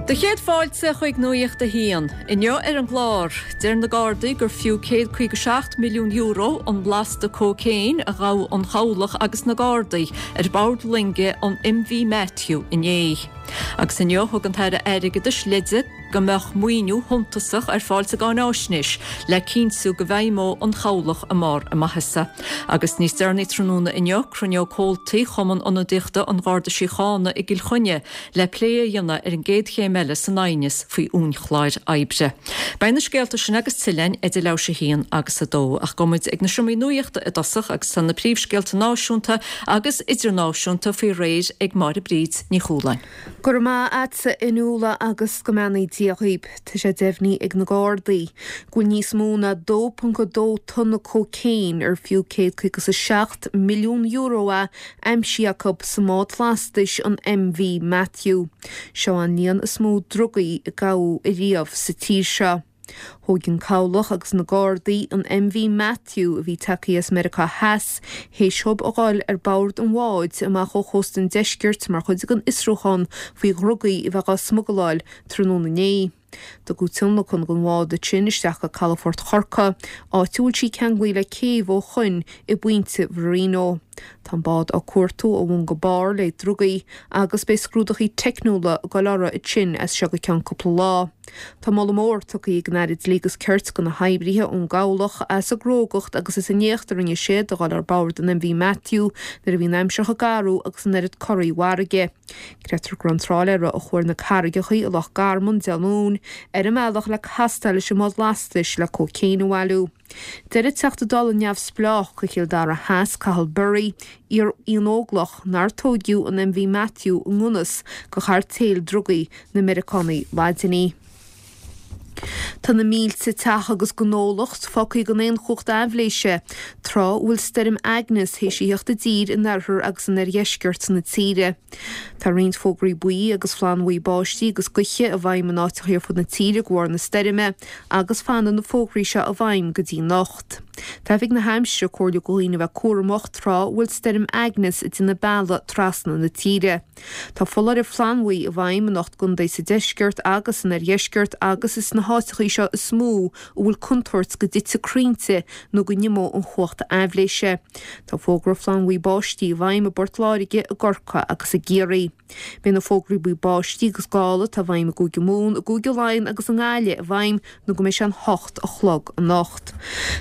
Do chéad fáilte chuig Nuacht a hAon. Inniu ar an gclár, deir na Gardaí gur fiú €157 milliún an lasta cócaon a ghabh an Chabhlach agus na Gardaí ar bord loinge an MV Matthew inné. Agus inniu thug an tAire Airgeadais leide go mbeadh maoiniú shuntasach ar fáil sa gcáináisnéis le cinntiú go bhfeidhmeoidh an Chabhlach i mbarr a maitheasa. Agus níos deireanaí tráthnóna inniu, cruinneoidh comhaltaí Chumann Ionadaíochta an Gharda Síochána i gCill Chainnigh le plé a dhéanamh ar an gcéad chéim eile san aighneas faoi uainchlár oibre. Beidh na scéalta sin agus tuilleadh againn idir leathuair théis 1 agus 2. Ach gabhfaidh muid ag na seomraí nuachta i dtosach agus tá na príomhscéalta náisiúnta agus idirnáisiúnta faoi réir ag Máire Bríd Ní Chualáin. Go raibh maith a'dsa a Fhionnuala agus go mbeannaí Dia dhaoib. Tá sé deimhnithe ag na Gardaí go bhfuil níos mó ná 2.2 tonna cócaon ar fiú €157 milliún é aimsithe acu sa mbád lastais an MV Matthew. Seo an líon is mó drugaí a gabhadh ariamh sa tír seo. Thóig an Cabhlach agus na Gardaí an MV Matthew a bhí tagtha as Meiriceá Theas théis dhóibh a dhul ar bord an bháid amach ó chósta an deiscirt mar chuid den fhiosrúchán faoi dhrugaí a bheith á smugaláil tráthnóna inné. Tugadh tionlacan den bhád ansin isteach go calafort Chorcaí, áit a bhfuil sí ceanglaithe le céibh ó shoin i bPointe Mharino. Tá an bád á cuartú ó bhun go barr le drugaí agus beidh scrúdachaí teicniúla ag dul orthu ansin as seo go ceann cúpla lá. Tá moladh mór tugtha ag an Aire Dlí agus Cirt do na hoibrithe ón gCabhlach as a gcrógacht agus as an éacht a rinne siad a dhul ar bord an MV Matthew nuair a bhí an aimsir chomh garbh agus an oiread corraí farraige. Creidtear go raibh an trálaeire a chuaigh ar na carraigeacha i Loch Garman Dé Luain ar an mbealach le castáil leis an mbád lastais le cócaon a bhailiú. Deir an Teachta Dála neamhspleách do Chill Dara Theas, Cathal Berry, iar-Fhiannóglach, nár tóigeadh an MV Matthew i ngan fhios do chairtéil drugaí na Meiriceánaigh Laidinigh. Tá na mílte teach agus gnólacht fágtha gan aon chumhacht aibhléise, tráth a bhfuil stoirm Agnes théis a theacht i dtír in oirthear agus in oirdheisceart na tíre. Tá roinnt fógraí buí agus flannbhuí báistí agus gaoithe i bhfeidhm in áiteacha ar fud na tíre de bharr na stoirme agus fanfaidh na fógraí seo i bhfeidhm go dtí anocht. Tá Oifig na hAimsire ag comhairliú do dhaoine a bheith cúramach tráth a bhfuil stoirm Agnes ag déanamh bealaigh trasna na tíre. Tá foláireamh flannbhuí i bhfeidhm in 8 gcontae sa deisceart agus san oirdheisceart agus is sna háiteacha seo is mó a bhfuil contúirt go dtitfidh crainnte nó go n-imeoidh an chumhacht aibhléise. Tá fógra flannbhuí báistí i bhfeidhm i bPort Láirge, i gCorcaigh agus i gCiarraí. Beidh na fógraí buí báistí agus gála atá i bhfeidhm i gCúige Mumhan, i gCúige Laighean agus i nGaillimh i bhfeidhm nó go mbeidh sé an hocht a chlog anocht.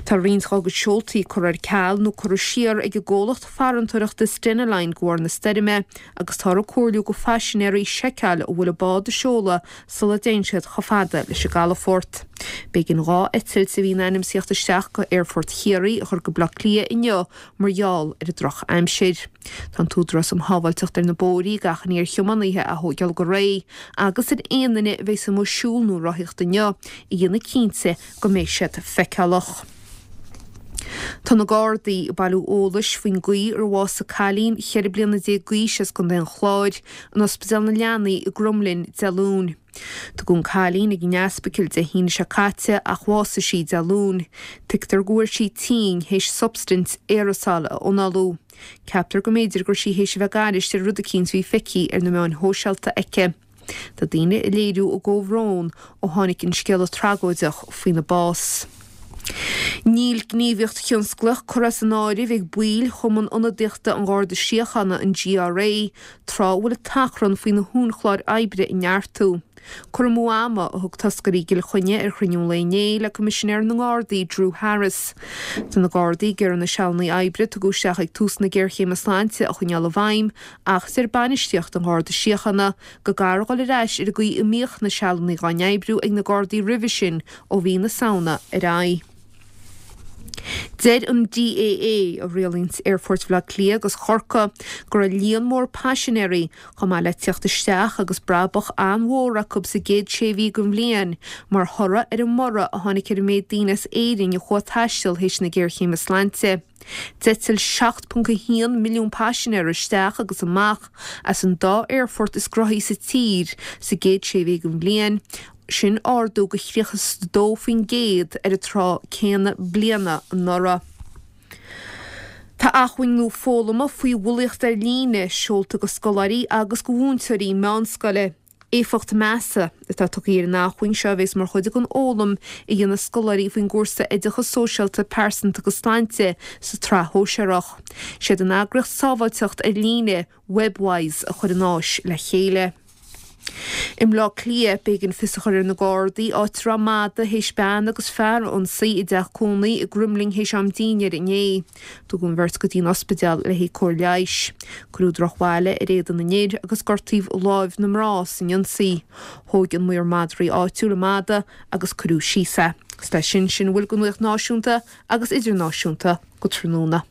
Tá roinnt dá gcuid seoltaí curtha ar ceal nó curtha siar ag an gcomhlacht farantóireachta Stena Line de bharr na stoirme agus táthar ag comhairliú go phaisinéirí seiceáil an bhfuil an bád ag seoladh sula dtéann siad chomh fada leis an gcalafort. B'éigean 2 eitilt a bhí in ainm is a theacht isteach go Aerfort Chiarraí a chur go Baile Átha Cliath inniu mar gheall ar an drochaimsir. Tá an tÚdarás um Shábháilteacht ar na Bóithrí ag achainí ar thiománaithe a thóigeáil go réidh agus ar aon duine a bheas amuigh ag siúl nó rothaíocht inniu a dhéanamh cinnte go mbeidh siad feiceálach. Tá na Gardaí ag bailiú eolais faoin gcaoi ar bhásaigh cailín 14 bliana d'aois as Contae an Chláir in Ospidéal na Leanaí i gCromghlinn Dé Luain. Tugadh an cailín ag an ospidéal Dé hAoine seo caite ach bhásaigh sí Dé Luain. Tuigtear go bhfuair sí tinn théis substaint aerasal a análú. Ceaptar go mb'fhéidir go raibh sí théis a bheith ag aithris ar rud eicínt a bhí feicthe ar na meáin shóisialta aici. Tá daoine ag léiriú a gcomhbhrón ó tháinig an scéala tragóideach faoina bás. Níl gníomhaíocht thionsclaíoch curtha as an áireamh ag baill Chumann Ionadaíochta an Gharda Síochána, an GRA, tráth a bhfuil an t-achrann faoi na huainchlár oibre a neartú. Cur amú ama a thug toscairí i gCill Chainnigh ar chruinniú an lae inné le Coimisinéir na nGardaí, Drew Harris. Tá na Gardaí ag iarraidh na sealanna oibre a tugadh isteach ag tús na géarchéime sláinte a choinneáil i bhfeidhm ach deir bainistíocht an Gharda Síochána go gcaithfear dhul ar ais ar an gcaoi a mbíodh na sealanna dhá n-oibriú ag na Gardaí roimhe sin ó mhí na Samhna ar aghaidh. Deir an DAA, a rialaíonns aerfoirt Bhaile Átha Cliath agus Chorcaí, go raibh líon mór paisinéirí, chomh maith le tíocht isteach agus brabach an-mhór acu sa gcéad sé mhí den bhliain, mar thoradh ar an mborradh a tháinig ar an méid daoine as Éirinn a chuaigh ag taisteal théis na géarchéime sláinte. D'eitil 7.1 milliún paisinéir isteach agus amach as an dá aerfort is gnóthaí sa tír sa gcéad sé mhí den bhliain, sin ardú de 32% ar an tráth céanna bliana anuraidh. Tá acmhainn nua foghlama faoi bhulaíocht ar líne seolta go scoláirí agus go mhúinteoirí meánscoile. Éifeacht measa atá tugtha ar an acmhainn seo a bheas mar chuid den fhoghlaim a dhéanfaidh scoláirí faoin gcúrsa Oideachas Sóisialta, Pearsanta agus Sláinte sa tsraith shóisearach. Siad an eagraíocht sábháilteacht ar líne, Webwise, a chuir an áis le chéile. I mBleá Cliath, b'éigean fios a chur ar na Gardaí, áit a raibh mada théis bean agus fear a ionsaí i dteach cónaí i gCroimlinn théis am dínnéir inné. Tugadh an bheirt go dtí an ospidéal le haghaidh cóir leighis. Cuireadh drochbhail ar éadan an fhir agus gortaíodh láimh na mná san ionsaí. Thóg an maor madraí áitiúil an mada agus cuireadh síos é. Agus leis sin, sin a bhfuil den nuacht náisiúnta agus idirnáisiúnta go tráthnóna.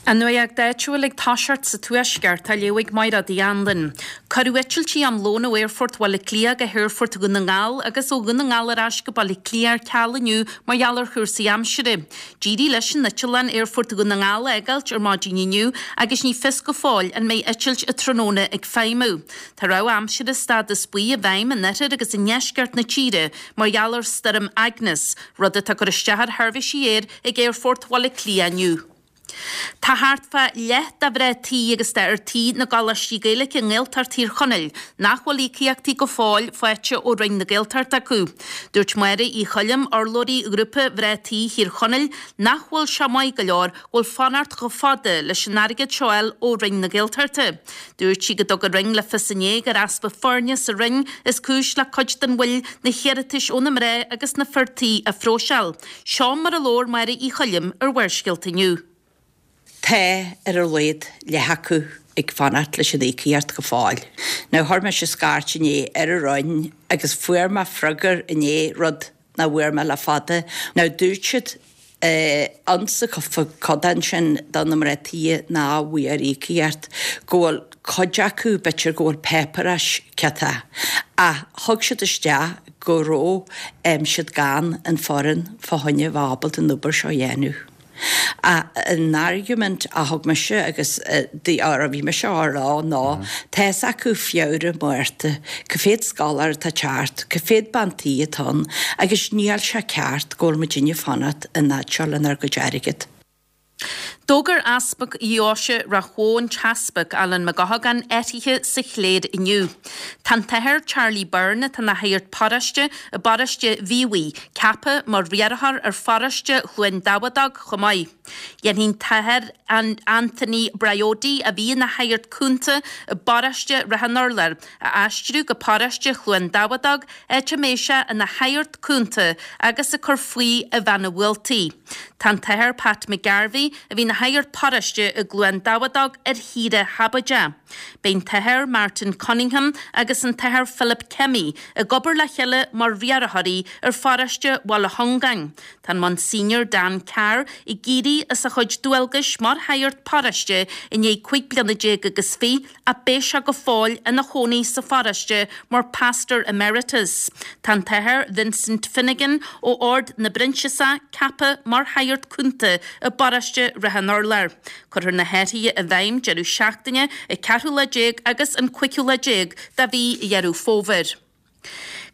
An nuacht áitiúil ag toiseacht sa Tuaisceart á léamh ag Mairéad Uí Anluain. Cuireadh eitiltí am lóin ó Aerfort Bhaile Átha Cliath go hAerfort Dhún na nGall agus ó Dhún na nGall ar ais go Baile Átha Cliath ar ceal inniu mar gheall ar chúrsaí aimsire. D'éirigh leis an eitleán Aerfort Dhún na nGall a fhágáilt ar maidin inniu agus ní fios go fóill an mbeidh eitilt an tráthnóna ag feidhmiú. Tá rabhadh aimsire stádas buí i bhfeidhm in oirthear agus i ndeisceart na tíre mar gheall ar Stoirm Agnes, rud atá ag cur isteach ar sheirbhísí aeir ag Aerfort Bhaile Átha Cliath inniu. Tá thart fá leath de mhná tí agus d'fhir tí na gcoláistí Gaeilge i nGaeltacht Thír Chonaill nach bhfuil íocaíochtaí go fóill faighte ó Roinn na Gaeltachta acu. Dúirt Máire Uí Choilm, urlabhraí Ghrúpa Mhná Tí Thír Chonaill, nach bhfuil sé maith go leor go bhfuil fanacht chomh fada leis an airgead seo a fháil ó Roinn na Gaeltachta. Dúirt sí go dtug an Roinn le fios inné gur easpa foirne sa Roinn is cúis le cuid den mhoill na hiarratais ó na mná agus na fir tí a phróiseáil. Seo mar a labhair Máire Uí Choilm ar Bharrscéalta inniu. Tá, ar a laghad, leath acu ag fanacht leis an íocaíocht go fóill. Now chuir mise scairt inné ar an Roinn agus fuair mé freagra inné, rud nach bhfuair mé le fada. Now dúirt siad ansa codán sin do na mná tí nach bhfuair íocaíocht go bhfuil cuid acu, b'fhéidir go bhfuil páipéarachas ciotach, ach thug siad isteach go raibh siad gan an foireann fá choinne bheith ábalta an obair seo a dhéanamh. Ach an argument a thug mise agus a bhí mise á rá ná tá's acu Feabhra, Márta, cá mhéad scoláire atá ag teacht, cá mhéad bean tí atá ann agus níl sé ceart go bhfuil muidinne ag fanacht an fhad seo lenár gcuid airgead. D'fhógair Easpag Dheoise Ráth Bhoth an tEaspag Alan Mac Eochagáin athruithe sa chléir inniu. Tá an tAthair Charlie Byrne, atá ina shagart paróiste i bparóiste Mhíobhaigh, ceaptha mar riarthóir ar pharóiste Chluain Dabhadach chomh maith. Dhéanfaidh an tAthair Anthony Briody, a bhí ina shagart cúnta i bparóiste Ráth an Urláir, a aistriú go paróiste Chluain Dabhadach, áit a mbeidh sé ina shagart cúnta agus ag cur faoi i Bheanna Bhualtaí. Tá an tAthair Pat McGarvey, a bhí ina shagart paróiste i gCluain Dabhadach, ar shaoire shabóideach. Beidh an tAthair Martin Cunningham agus an tAthair Philip Kemmy ag obair le chéile mar riarthóirí ar pharóiste Bhaile Chongáin. Tá an Monsignor Dan Carr ag éirí as a chuid dualgais mar shagart paróiste i ndiaidh 15 bliana agus fiche ach beidh sé go fóill ina chónaí sa pharóiste mar Pastor Emeritus. Tá an tAthair Vincent Finnegan ó Ord na bProinsiasach ceaptha mar shagart cúnta i bparóiste Ráth an Urláir. Cuirfear na hathruithe i bhfeidhm deireadh seachtaine an ceathrú lá déag agus an cúigiú lá déag de mhí Dheireadh Fómhair.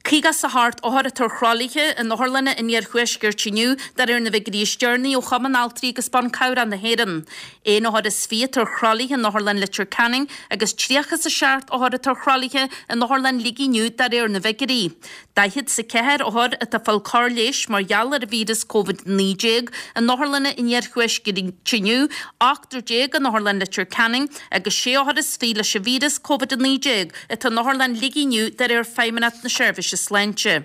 58 othar atá ar thralaithe in otharlanna an iarthuaiscirt inniu, de réir na bhfigiúirí is deireanaí ó Chumann Altraí agus Ban Cabhrach na hÉireann. Aon othar is 20 atá ar thralaithe in Otharlann Leitir Ceanainn agus 37 othar atá ar thralaithe in Otharlann Shligigh inniu, de réir na bhfigiúirí. 44 othar atá ag fáil cóir leighis mar gheall ar an víreas Covid-19 in otharlanna an iarthuaiscirt inniu, ochtar déag in Otharlann Leitir Ceanainn agus sé othar is 20 leis an víreas Covid-19 atá in Otharlann Shligigh inniu de réir Feidhmeannacht na Seirbhíse Sláinte.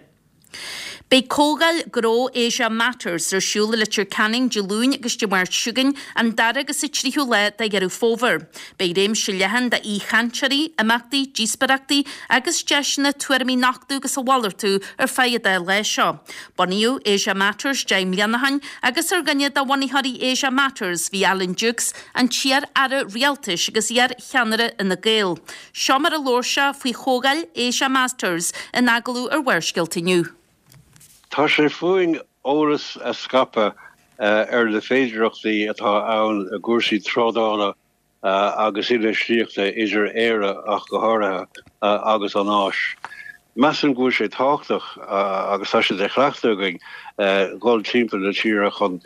Beidh comhdháil gnó Asia Matters ar siúl i Leitir Ceanainn Dé Luain agus Dé Máirt seo chugainn, an dara agus an tríú lá de Dheireadh Fómhair. Beidh réimse leathan d'aoichainteoirí, imeachtaí, díospóireachtaí agus deiseanna tuairimí a nochtadh agus a mhalartú ar feadh an dá lá seo. Bunaíodh Asia Matters 10 mbliana ó shin agus ar dhuine de bhunaitheoirí Asia Matters bhí Alan Dukes, an t-iar-aire rialtais agus iar-cheannaire Fhine Gael. Seo mar a labhair sé faoi chomhdháil Asia Matters in agallamh ar Bharrscéalta inniu. Tá sé fúinn eolas a scaipeadh ar na féidearthachtaí atá ann i gcúrsaí trádála agus infheistíochta idir Éire, ach go háirithe, agus an Áis. Measaim go bhfuil sé tábhachtach, agus tá sé de chleachtadh againn, dhul timpeall na tíre chun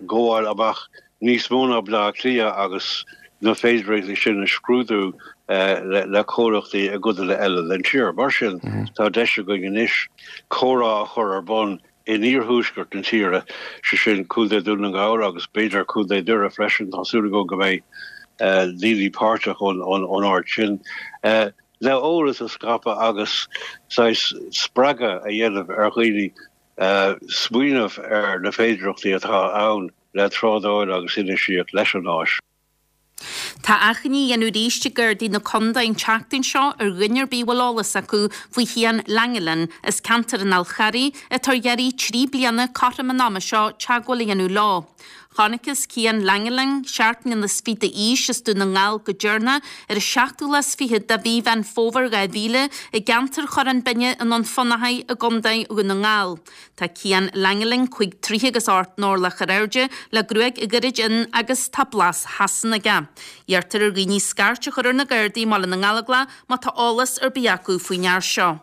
gabháil amach níos mó ná Baile Átha Cliath agus. Na féidearthachtaí sin a scrúdú le comhlachtaí i gcodanna eile den tír. Mar sin, tá deis againn anois comhrá a chur ar bun in iarthuaisceart na tíre, sé sin Contae Dhún na nGall agus b'fhéidir Contae Dhoire freisin, tá súil agam go mbeidh daoine páirteach ón áit sin, le eolas a scaipeadh agus saghas spreagadh a dhéanamh ar dhaoine smaoineamh ar na féidearthachtaí atá ann le trádáil agus infheistíocht leis an Áis. Tá achainí á dhéanamh arís ag Gardaí na Condae an tseachtain seo ar dhuine ar bith a bhfuil eolas acu faoi Chian Langelan as ceantar an Fhál Charraigh atá ar iarraidh 3 bliana cothrom an ama seo teagmháil a dhéanamh leo. Chonacthas Cian Langelan, 17 mbliana is fiche d'aois as Dún na nGall go deireanach ar an seachtú lá is fichead de mhí Mheán Fómhair 2000 i gceantar Chorrán Binne i nDún Fionnachaidh i gCondae Dhún na nGall. Tá Cian Langelan 5 troithe agus 8 n-orlach ar airde, le gruaig ghairid fhionn agus tá blas Shasana aige. Iarrtar ar dhaoine scairt a chur ar na Gardaí i mBaile na nGallóglach má tá eolas ar bith acu faoin fhear seo.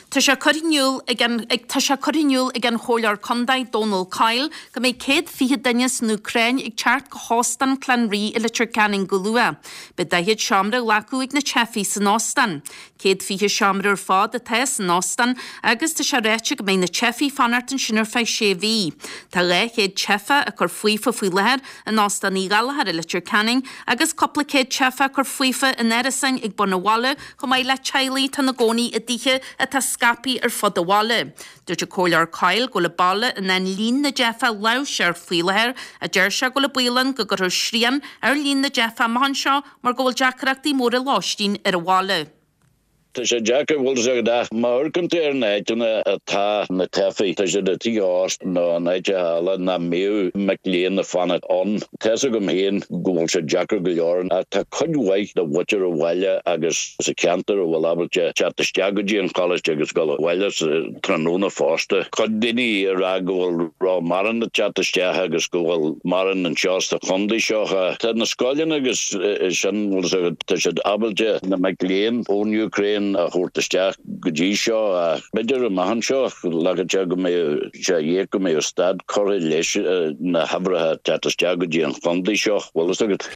Tá sé curtha in iúl ag an Tá sé curtha in iúl ag an Chomhairleoir Contae Dónal Coyle go mbeidh 120 duine as an Úcráin ag teacht go hÓstán Clanree i Leitir Ceanainn go luath. Beidh 40 seomra á nglacadh ag na teifigh san óstán. 120 seomra ar fad atá san óstán agus tá sé ráite go mbeidh na teifigh ag fanacht ansin ar feadh sé mhí. Tá 200 teifeach ag cur faofa faoi láthair in Óstán Uí Ghallchóir i Leitir Ceanainn agus cúpla céad teifeach ag cur faofa in árasáin ag bun an bhaile chomh maith le teaghlaigh atá ina gcónaí i dtithe atá scaipthe ar fud an bhaile. Dúirt an Comhairleoir Coyle go bhfuil an baile in ann líon na dteifeach a láimhseáil faoi láthair ach deir sé go bhfuil an baol ann go gcuirfear srian ar líon na dteifeach amach anseo mar go bhfuil deacrachtaí móra lóistín ar an bhaile. Tá sé deacair, bhfuil fhios agat, ach má amharcann tú ar na áiteanna atá na teifigh, tá siad i dtithe ósta nó in áiteacha eile nach mbíodh mic léinn ag fanacht ann. Tá's agam féin go bhfuil sé deacair go leor ach tá cuid mhaith de mhuintir an bhaile agus sa cheantar a bhfuil ábalta teacht isteach go dtí an choláiste agus dul abhaile sa tráthnóna fosta. Cuid daoine ag rá go bhfuil ró-mhórán ag teacht isteach agus go bhfuil mórán anseo sa chontae seo. Tá na scoileanna agus sin, bhfuil fhios agat, tá siad ábalta na mic léinn ón Úcráin a thabhairt isteach go dtí seo ach b'fhéidir amach anseo glacann sé go mbeidh sé dhíoth go mbeidh stad curtha leis na huimhreacha ag teacht isteach go dtí an chontae seo, bhfuil fhios agat.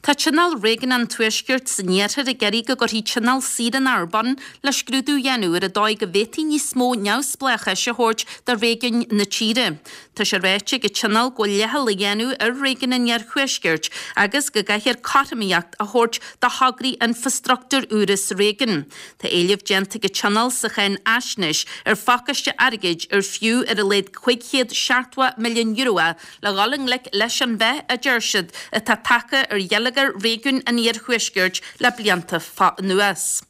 Tá Tionól Réigiúnach an Tuaiscirt san Iarthar ag iarraidh go gcuirfí tionól saoránach ar bun le scrúdú a dhéanamh ar an dóigh go bhféadfaí níos mó neamhspleáchais a thabhairt do réigiúin na tíre. Tá sé ráite ag an Tionól go bhfuil leithcheal á dhéanamh ar réigiún an Iarthuaiscirt agus go gcaithfear cothromaíocht a thabhairt do thograí infreastruchtúir úra sa réigiún. Tá éileamh déanta ag an Tionól sa cháinfhaisnéis ar phacáiste airgid ar fiú ar a laghad €570 milliún é le dhul i ngleic leis an mheath, a deir siad, atá tagtha ar gheilleagar réigiún an iarthuaiscirt le blianta anuas.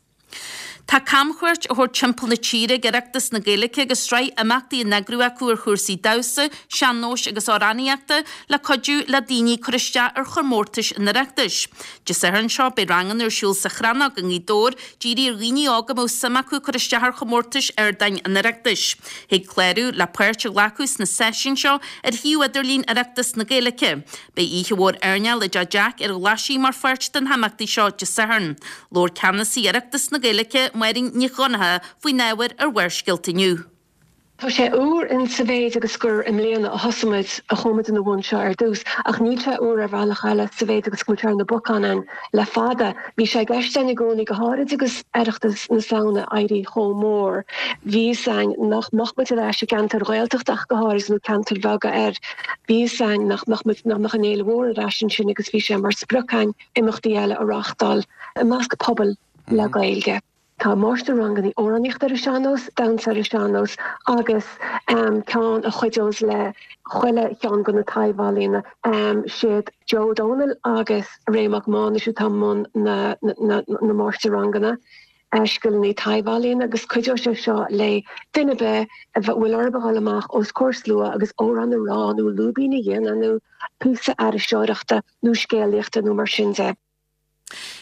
Tá camchuairt á thabhairt timpeall na tíre ag Oireachtas na Gaeilge agus sraith imeachtaí á n-eagrú acu ar chúrsaí damhsa, sean-nóis agus amhránaíochta le cuidiú le daoine cur isteach ar chomórtais an Oireachtais. Dé Sathairn seo beidh ranganna ar siúl sa Chrannóg i nGaoth Dobhair dírithe ar dhaoine óga a mbeadh suim acu cur isteach ar chomórtais ardáin an Oireachtais. Thig clárú le páirt a ghlacadh sna seisiúin seo ar shuíomh idirlín Oireachtas na Gaeilge. Beidh oíche mhór airneáil i dTeach Jack ar an Ghlaisigh mar pháirt de na himeachtaí seo Dé Sathairn. Labhair ceannasaí Oireachtas na Gaeilge, Máirín Nic Dhonncha, faoin ábhar ar Bharrscéalta inniu. Tá sé úr in sa mhéid agus gur i mbliana a thosaigh muid, a chuaigh muid ina bhun seo ar dtús, ach níl sé úr ar bhealach eile sa mhéid agus go bhfuil sé ar na bacáin a'inn le fada. Bhí sé i gceist a'inn i gcónaí, go háirid agus Oireachtas na Samhna ag éirí chomh mór, bhí fhios a'inn nach mbeadh muid ar ais i gceantair Ghaeltachta ach go háirid nó ceantair bheaga ar bhí fhios a'inn nach mbeadh muid, nach mbeadh an fhéile mhór ar ais ansin agus bhí sé mar sprioc a'inn imeachtaí eile a reáchtáil i measc pobail le Gaeilge. Tá máistir-ranganna amhránaíochta ar an sean-nós, damhsa ar an sean-nós agus ceann a chuideos le chuile cheann de na taibh-ealaíona. Siad Joe Ó Dónaill agus Ray Mac Mánais atá i mbun na máistir-ranganna scileanna taibh-ealaíona agus cuideoidh sé seo le duine ar bith a bhfuil orthu a dhul amach os comhair slua agus amhrán a rá nó lúibín a dhéanamh nó píosa aithriseoireachta nó scéalaíochta nó mar sin de.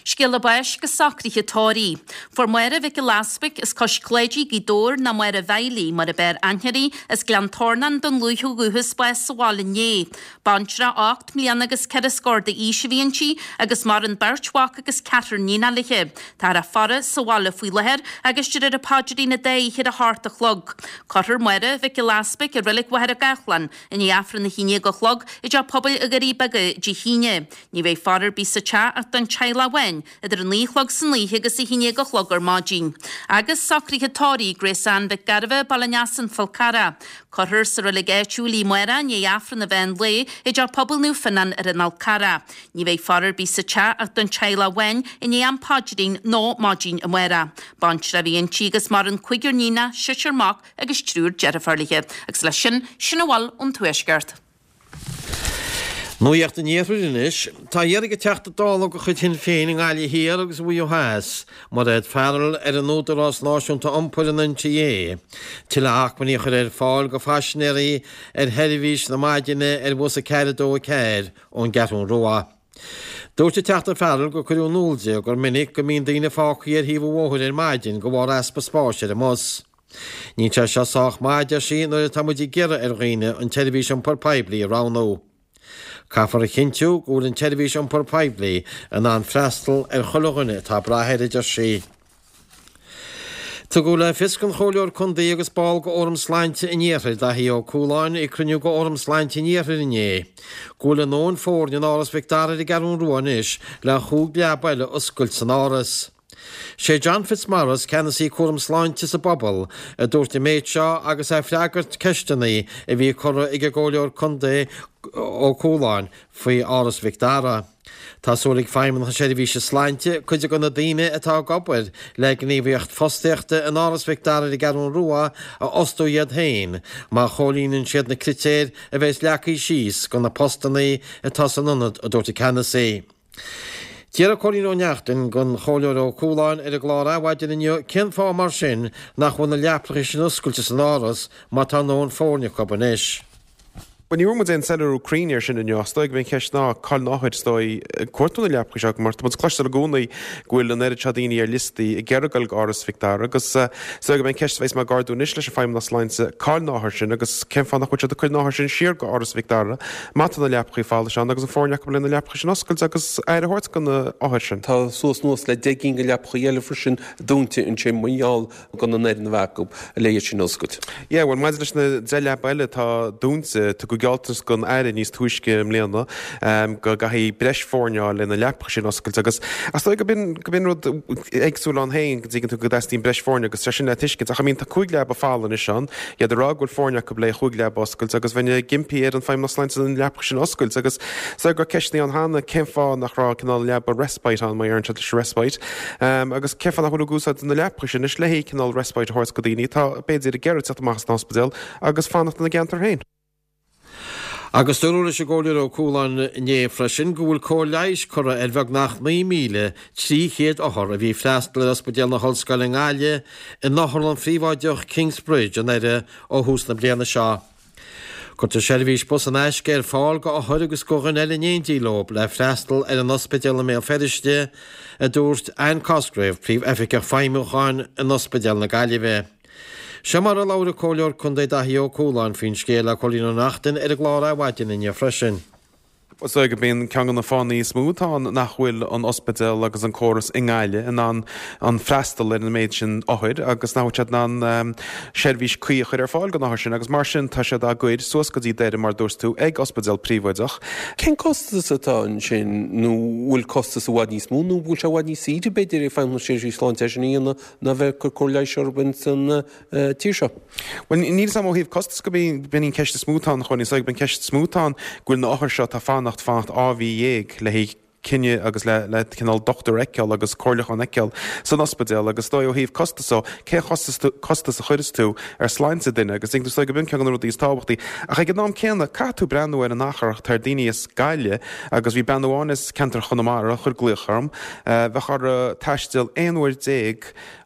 Scéala báis agus socruithe tórraimh. Fuair Máire Mhic Giolla Easbuig as Cois Cláidí, Gaoth Dobhair, nó Máire Mhiley mar ab fhearr aithne uirthi, as Gleann Tornáin don luaith ó dhúchas bás sa bhaile inné. Baintreach 8 mbliana agus 4 scór d'aois a bhí inti agus maireann beirt mhac agus ceathrar níonacha léi. Táthar á faire sa bhaile faoi láthair agus de réir an paidrín an dá oíche ar a hocht a chlog. Cuirfear Máire Mhic Giolla Easbuig i Reilig Mhachaire Gathlán i ndiaidh Aifreann 11 a chlog i dTeach Pobail na nDoirí Beaga Dé hAoine. Ní bheidh faire ar bith sa teach ach don teaghlach amháin idir a 9 a chlog san oíche agus 11 a chlog ar maidin. Agus socruithe tórraimh Grace Ann Mhic Gairbheith, Baile an Easa, An Fál Carrach. Cuirfear sa reilig áitiúil í amárach i ndiaidh Aifreann an mheán lae i dTeach Pobail Naomh Fionnán ar an Fhál Carrach. Ní bheidh faire ar bith sa teach ach don teaghlach amháin i ndiaidh am paidrín nó maidin amárach. Baintreach a bhí inti agus maireann cúigear níonach, seisear mac agus triúr deirfiúr léi. Agus leis sin, sin a bhfuil ón Tuaisceart. Nuacht an Iarthair anois. Tá á iarraidh ag Teachta Dála de chuid Shinn Féin i nGaillimh Thiar agus i Mhaigh Eo Theas, Mairéad Farrell, ar an Údarás Náisiúnta Iompair, an NTA, tuilleadh acmhainní a chur ar fáil go phaisinéirí ar sheirbhís na maidine ar bhus 4 2 4 ón gCeathrún Rua. Dúirt an Teachta Farrell gur cuireadh in iúl di gur minic go mbíonn daoine fágtha ar thaobh an bhóthair ar maidin de bharr easpa spáis ar an mbus. Níl sé seo sách maith, a deir sí, nuair atá muid ag iarraidh ar dhaoine an tseirbhís iompair poiblí a roghnú. Caithfear a chinntiú go bhfuil an tseirbhís iompair poiblí in ann freastal ar chuile dhuine atá ag brath air, a deir sí. Tugadh le fios don Chomhairleoir Contae agus ball de Fhóram Sláinte an Iarthair, Daithí Ó Cualáin, ag cruinniú de Fhóram Sláinte an Iarthair inné, go bhfuil a ndóthain foirne in Áras Mhic Dara ar an gCeathrún Rua anois le chúig leaba eile a oscailt san áras. Sé John Fitzmaurice, Ceannasaí Cúram Sláinte sa bPobal, a dúirt an méid seo agus é ag freagairt ceisteanna a bhí curtha ag an gComhairleoir Contae Ó Cualáin faoi Áras Mhic Dara. Tá súil ag Feidhmeannacht na Seirbhíse Sláinte cuid de na daoine atá ag obair le gníomhaíocht fostaíochta in Áras Mhic Dara ar an gCeathrún Rua a fhostú iad féin má chomhlíonann siad na critéir a bheas leagtha síos do na postanna atá san ionad, a dúirt an Ceannasaí. D'fhiafraigh Cóilín Ó Neachtain den Chomhairleoir Ó Cualáin ar an gclár Adhmhaidin inniu cén fáth mar sin nach bhfuil na leapracha sin oscailte san Áras má tá a ndóthain foirne acu anois. Bhuel, ní bhfuair muid aon soiléiriú cruinn air sin inniu ach is dóigh go mb'é an cheist ná cá'il na hothair is dóigh ag cuartú na leapracha seo mar tá muid ag cloisteáil i gcónaí go bhfuil an oiread seo daoine ar liostaí ag iarraidh dul go Áras Mhic Dara agus is dóigh go mb'é an ceist a bheas mé ag ardú anois leis an Feidhmeannas Sláinte cá'il na hothair sin agus cén fáth nach bhfuil siad ag cur na hothair sin siar go Áras Mhic Dara má tá na leaprachaí folamh ann agus an foirne acu le na leaprachaí sin a oscailt agus aire a thabhairt do na hothair sin. Tá suas anuas le 10 gcinn de leapachaí eile freisin dúnta ansin mar gheall gan an fhoireann a bheith acu le iad sin a oscailt. Yeah, bhuel maidir leis na 10 leaba eile atá dúnta, tugadh gealltanas don Aire níos túisce i mbliana go gcaithfidh breis foirne a fháil le na leapacha sin a oscailt agus is dóigh go b'in go b'in rud éagsúil ann féin go dtuigeann tú go dteastaíonn breis foirne agus sé sin le tuiscint ach I mean tá 5 leaba folamh anois ann, iad ag rá go bhfuil foirne acu le chúig leaba a oscailt agus bheinn ag impí ar an Feidhmeannas Sláinte na leapacha sin a oscailt agus is dóigh go raibh ceisteanna ann cheana cén fáth nach raibh cineál leaba respite ann mar a deireann siad leis an respite agus cén fáth nach bhfuil ag úsáid na leapacha sin anois le haghaidh cineál respite a thabhairt go daoine atá b'fhéidir ag iarraidh teacht amach as an ospidéal agus fanacht ina gceantar féin. Agus dúradh leis an gComhairleoir Ó Cualáin inné freisin go bhfuil cóir leighis curtha ar bheagnach 9,300 othar a bhí ag freastal ar Ospidéal na hOllscoile i nGaillimh in otharlann phríobháideach Kingsbridge i nDoire ó thús na bliana seo. Cuirtear seirbhís bus in aisce ar fáil go othair agus go dhuine eile in éindí leo le freastal ar an ospidéal i mBéal Feirste, a dúirt Anne Cosgrave, Príomh-Oifigeach Feidhmiúcháin in Ospidéal na Gaillimhe. Seo mar a labhair an Comhairleoir Contae Daithí Ó Cualáin faoin scéal le Cóilín Ó Neachtain ar an gclár Adhmhaidin inniu freisin. Is dóigh go mb'in ceann de na fáthanna is mó atá ann nach bhfuil an ospidéal agus an córas i nGaillimh in ann an freastal ar an méid sin othair agus nach bhfuil siad in ann seirbhís cuí a chur ar fáil don othar sin agus mar sin tá siad á gcur suas go dtí Doire mar dúirt tú ag ospidéal príobháideach. Cén costas atá ansin nó bhfuil costas i bhfad níos mó nó bhfuil sé i bhfad níos saoire b'fhéidir ag Feidhmeannas na Seirbhíse Sláinte é sin a dhéanamh ná bheith ag cur cóir leighis orthu ins an tír seo. Bhuel, níl 'fhios a'm ó thaobh costas go b'in í an ceist is mó atá ann, a Chóilín. Is dóigh go b'in an ceist is mó atá ann, go bhfuil na othair seo atá ag fanacht, fanacht 12 mhí le haghaidh cinneadh agus le, le cineál dochtúir a fheiceáil agus comhairliúchán a fheiceáil san ospidéal agus is dóigh ó thaobh costas ó, cén chostas tú, costas a chuireas tú ar sláinte duine agus is dóigh go b'in ceann de na rudaí is tábhachtaí. Ach ag an am céanna, caithfidh tú breathnú ar an achar atá ar daoine as Gaillimh agus bhí bean amháin as ceantar Chonamara a chuir glaoch orm, Bheadh uirthi taisteal 11 uair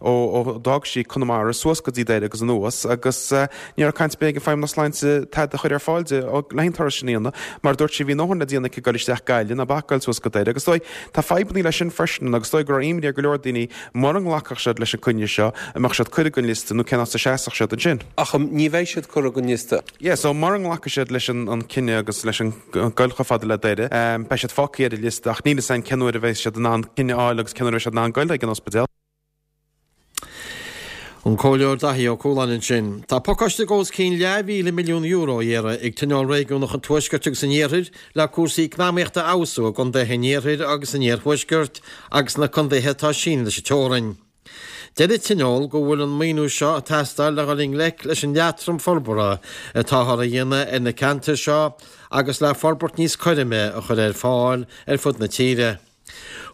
ó d'fhág sí Conamara suas go dtí Doire agus anuas agus ní raibh caint ar bith ag an Feidhmeannas Sláinte tada a chur ar fáil di le haghaidh an turas sin a dhéanamh. Mar a dúirt sí, bhí a ndóthain le déanamh aici ag dul isteach Gaillimh ná bac dul suas go Doire. Doire. Agus is dóigh, tá fadhbannaí leis sin freisin agus is dóigh go raibh imní ar go leor daoine mura nglacfadh siad leis an coinne seo, an mbeadh siad curtha den liosta nó cén áit a seasfadh siad ansin. Ach ní bheidh siad curtha den liosta. Yeah, so mura nglacfaidh siad leis an cinneadh agus leis an goil chomh fada le Doire, beidh siad fágtha ar an liosta ach níl fhios againn cén uair a bheidh siad in ann cinneadh a fháil agus cén uair a bheidh siad in ann goil chuig an ospidéal. An Comhairleoir Daithí Ó Cualáin ansin. Tá pacáiste de os cionn leathmhíle milliún euro á iarraidh ag Tionól Réigiúnach an Tuaiscirt agus an Iarthair le cúrsaí eacnamaíochta a fheabhsú i gcontaetha an Iarthair agus an Iarthuaiscirt agus na contaetha atá sínithe leis an teorainn. Deir an Tionól go bhfuil an maoiniú seo ag teastáil le dhul i ngleic leis an leatrom forbartha atáthar a dhéanamh ar na ceantair seo agus le forbairt níos cothroime a chur ar fáil ar fud na tíre.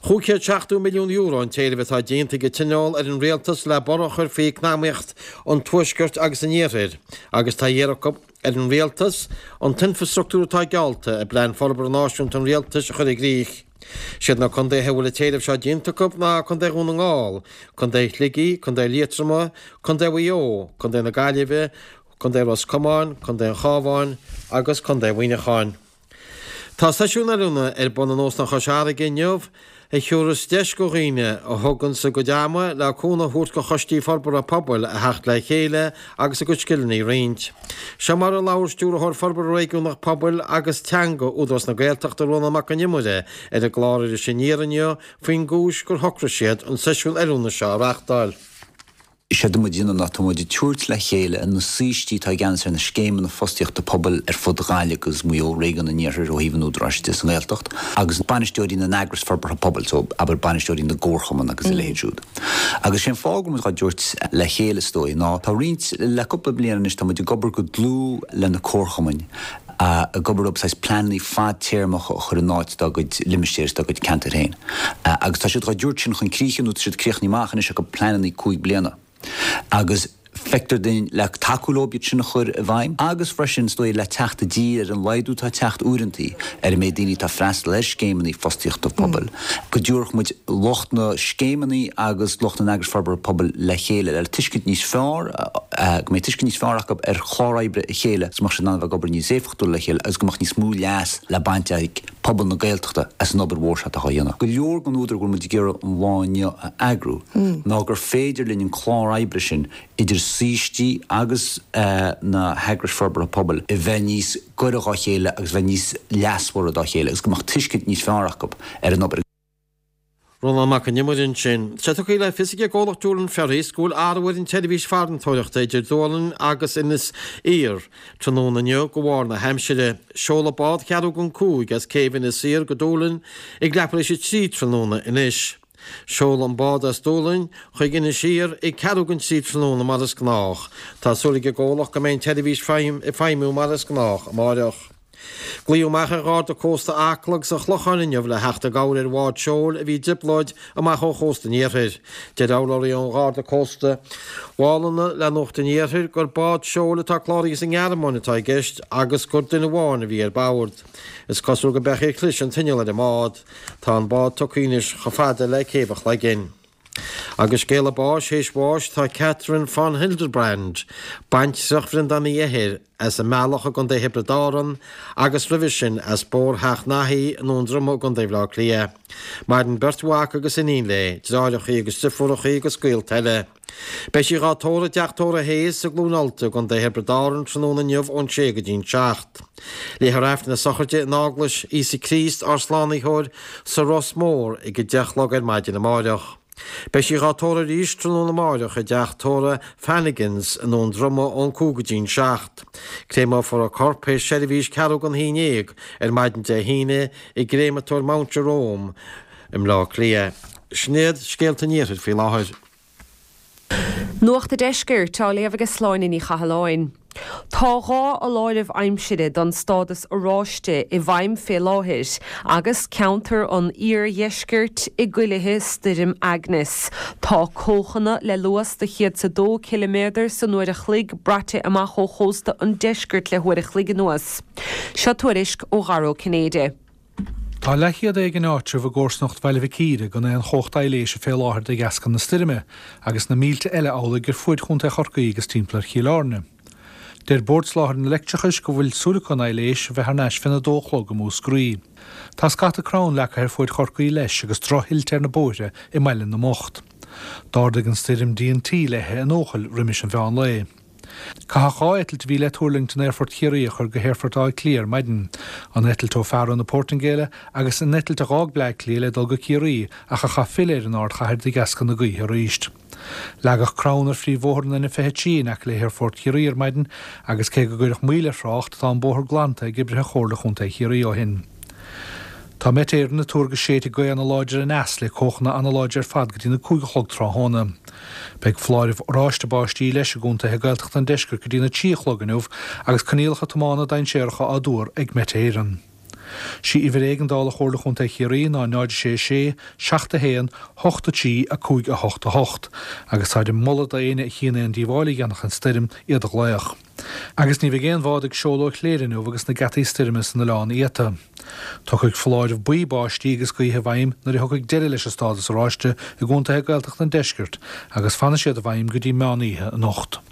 €570 milliún an t-éileamh atá déanta ag an Tionól ar an Rialtas le borradh a chur faoi eacnamaíocht an Tuaiscirt agus an Iarthair agus tá iarrtha acu ar an Rialtas an t-infreastruchtúr atá geallta i bPlean Forbartha Náisiúnta an Rialtais a chur i gcrích. Siad na contaetha a bhfuil an t-éileamh seo déanta acu ná Contae Dhún na nGall, Contae Shligigh, Contae Liatroma, Contae Mhaigh Eo, Contae na Gaillimhe, Contae Ros Comáin, Contae an Chabháin agus Contae Mhuineacháin. Tá seisiún oiliúna ar bun in Óstán Chois Fharraige inniu a thiúrfas deis go dhaoine a thuganns a gcuid ama le cúnamh a thabhairt go choistí forbartha pobail a theacht le chéile agus a gcuid scileanna a roinnt. Seo mar a labhair Stiúrthóir Forbartha Réigiúnach Pobail agus Teanga Údarás na Gaeltachta Rónán Mac Con Iomaire ar an gclár Iris Aniar inniu faoin gcúis gur shocraigh siad an seisiún oiliúna seo a reachtáil. Is é atá muid a dhéanamh ná tá muid ag tabhairt le chéile na saoistí atá i gceannas ar na scéimeanna fostaíochta pobail ar fud Ghaillimh agus Mhaigh Eo, Réigiún an Iarthair ó thaobh an Údaráis de sa nGaeltacht, agus bainisteoirí na n-eagras forbartha pobail, so abair bainisteoirí na gcomharchumann agus a leithéid siúd. Agus sé an fáth go bhfuil muid dhá dtabhairt le chéile is dóigh ná tá roinnt, le cúpla bliain anois tá muid ag obair go dlúth le na comharchumainn, ag obair leo saghas pleananna fadtéarmacha a chur in áit dá gcuid limistéir is dá gcuid ceantair féin. Agus tá siad dhá dtabhairt sin chun críche nó tá siad críochnaithe amach anois acu pleananna 5 bliana. Agus feictear duinn le tacú leo iad sin a chur i bhfeidhm agus freisin is dóigh le teacht i dtír ar an laghdú atá ag teacht uaireantaí ar an méid daoine atá ag freastal ar scéimeanna fostaíochta pobail, go dtabharfadh muid lucht na scéimeanna agus lucht na n-eagras forbartha pobail le chéile le tuiscint níos fearr, go mbeidh tuiscint níos fearr acu ar chlár oibre a chéile agus go mbeadh siad in ann a bheith ag obair níos éifeachtúla le chéile agus go mbeadh níos mó leas le baint ag pobal na Gaeltachta as an obair mhór seo atá á dhéanamh. Go leor den údar go bhfuil muid ag iarraidh an lá inniu a eagrú ná gur féidir linn an clár oibre sin idir saoistí agus na heagrais forbartha pobail a bheith níos gaire dhá chéile agus bheith níos leasmhara dá chéile agus go mbeadh tuiscint níos fearr acu ar an obair. Rónán Mac Con Iomaire ansin. Tá sé tugtha le fios ag an gcomhlacht Doolin Ferries go bhfuil athrú ar an tseirbhís farantóireachta idir Dúlainn agus Inis Oírr tráthnóna inniu de bharr na haimsire. Seolfaidh bád cheathrú don 5 as céibh Inis Oírr go Dúlainn ag leathuair tar éis a 3 tráthnóna anois. Seolfaidh an bád as Dúlainn chuig Inis Oírr ag ceathrú don 3 tráthnóna mar is gnách. Tá súil ag an gcomhlacht go mbeidh an tseirbhís ag feidhmiú mar is gnách amáireach. Glaodh amach ar Gharda Cósta Acla agus an Chlocháin inniu le theacht i gcabhair ar bhád seoil a bhí i dtrioblóid amach ó chósta an iarthair. Deir urlabhraí ón Gharda Cósta Mhálanna le Nuacht an Iarthair gur bád seoil atá cláraithe sa nGearmáin atá i gceist agus gur duine amháin a bhí ar bord. Is cosúil go b'eadh ar chlis an t-inneall ar an mbád. Tá an bád tugtha anois chomh fada le Céibh an Chloiginn. Agus scéala báis théis bháis tá Catherine von Hildebrand, baintreach Bhreandáin Uí Eithir, as an mBealach i gContae Thiobraid Árann agus roimhe sin as Bóthar Theach Naithí i nDún Droma i gContae Bhaile Átha Cliath. Maireann beirt mhac agus iníon léi, deartháireachaí agus driofúrachaí agus gaolta eile. Beidh sí dhá tórramh i dTeach Tórraimh Hayes i gCluain Ulta i gContae Thiobraid Árann tráthnóna inniu ón sé go dtí'n 7. Léifear Aifreann na sochraide in Eaglais Íosa Críost ár Slánaitheoir sa Ros Mór ag 10 a chlog ar maidin amáireach. Beidh sí dhá tórramh arís tráthnóna amáireach i dTeach Tórraimh Fanagans i nDún Droma ón 5 go dtí'n 7. Créameofar a corp théis seirbhís ceathrú don haon dhéag ar maidin Dé hAoine i gcréamatóir Mount Jerome i mBleá Cliath. Sin iad scéalta an Iarthair faoi láthair. Nuacht a' Deiscirt á léamh ag Sláine Ní Chathalláin. Tá 2 fholáireamh aimsire don stádas oráiste i bhfeidhm fé láthair agus ceantar an iardheiscirt i gcuilithe stoirm Agnes. Tá cóchanna le luas de 102 ciliméadar san uair a chloig braite amach ó chósta an deiscirt le huair a chloig anuas. Seo tuairisc ó Dhara Ó Cinnéide. Tá leathchéad éigin áitreabh i gcomharsanacht Bhaile Mhic Íre gan aon chumhacht aibhléise fé láthair de dheasca na stoirme, agus na mílte eile amhlaidh ar fuaid Chontae Chorcaí agus timpeall ar Chill Airne. Deir Bord Soláthair an Leictreachais go bhfuil súil acu an aibhléis a bheith thar n-ais féna dó a chlog i Múscraí. Tá scata crann leagtha ar fuaid Chorcaí leis agus droch-thuilte ar na bóithre i mBaile na mBocht. D'ardaigh an stoirm díon tí léithe in Eochaill roimis an mheán lae. Caitheadh 2 eitilt a bhí le tuirlingt in Aerfort Chiarraí a chur go hAerfort Átha Cliath ar maidin, an eitilt ó Faro na Portaingéile agus an eitilt a dh'fhág Bleá Cliath le dul go Ciarraí ach a chaith filleadh ar an ardchathair de dheasca na gaoithe arís. Leagadh crann ar phríomhbhóthar an N23 in aice le hAerfort Chiarraí ar maidin agus cé go gcuireadh moill ar thrácht, tá an bóthar glanta ag oibrithe Chomhairle Chontae Chiarraí ó shin. Tá Met Éireann ag tuar go séidfidh gaoth ana-láidir aneas le cóchanna ana-láidir ar fad go dtí na 5 a chlog tráthnóna. Beidh foláireamh oráiste báistí leis i gcontaetha Gaeltachta an deiscirt go dtí na 3 a chlog inniu agus coinníollacha tiomána dainséaracha á dtuar ag Met Éireann. Sí uimhir éigeandála Chomhairle Chontae Chiarraí ná 0 6 6 7 1 8 3 5 8 8 agus táid ag moladh d'éinne a chíonn aon díobháil a dhéanfadh an stoirm iad a ghlaoch. Agus ní bheidh aon bhád ag seoladh ó Chléire inniu agus na geataí stoirme san oileán iata. Tiocfaidh foláireamh buí báistí agus gaoithe i bhfeidhm nuair a thiocfaidh deireadh leis an stádas oráiste i gcontaetha Gaeltachta an deiscirt agus fanfaidh siad i bhfeidhm go dtí meán oíche anocht.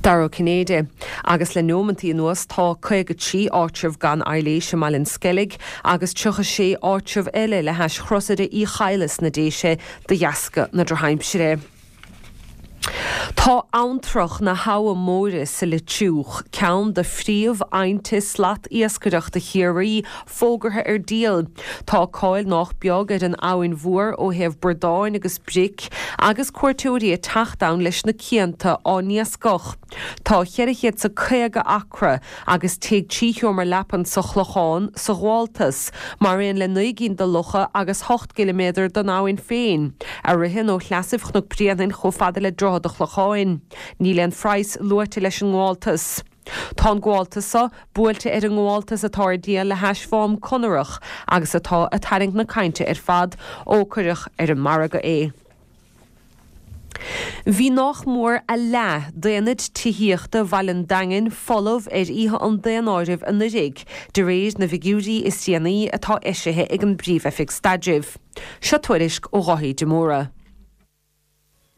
Dara Ó Cinnéide. Agus le nóimeantaí anuas tá 53 áitreabh gan aibhléis i mBaile an Sceilg agus 36 áitreabh eile le hais Chrosaire Uí Chadhla sna Déise de dheasca na drochaimsire. Tá abhantrach na hAbha Móire sa Leitriúch, ceann de phríomh-aibhnte slat-iascaireachta Chiarraí, fógartha ar díol. Tá cáil nách beag ar an abhainn mhór ó thaobh bradáin agus bric agus cuairteoirí ag teacht ann leis na cianta á n-iascach. Tá 400 's a 50 acra agus tigh 3 sheomra leapan sa Chlochán sa ghabháltas, mar aon le 9 gcinn de locha agus 8 gciliméadar den abhainn féin, a ritheann ó shleasaibh Chnoc Bréanainn chomh fada le Droichead a' Chlocháin. Níl aon phraghas luaite leis an ngabháltas. Tá an gabháltas so buailte ar an ngabháltas atá ar díol le hais Mhám Conarach agus atá ag tarraingt na cainte ar fad ó cuireadh ar an margadh é. Bhí nách mór a leath d'aonaid tithíochta Bhaile an Daingin folamh ar oíche an daonáirimh anuiridh, de réir na bhfigiúirí is déanaí atá eisithe ag an bPríomh-Oifig Staidrimh. Seo tuairisc ó Dháithí de Mórdha.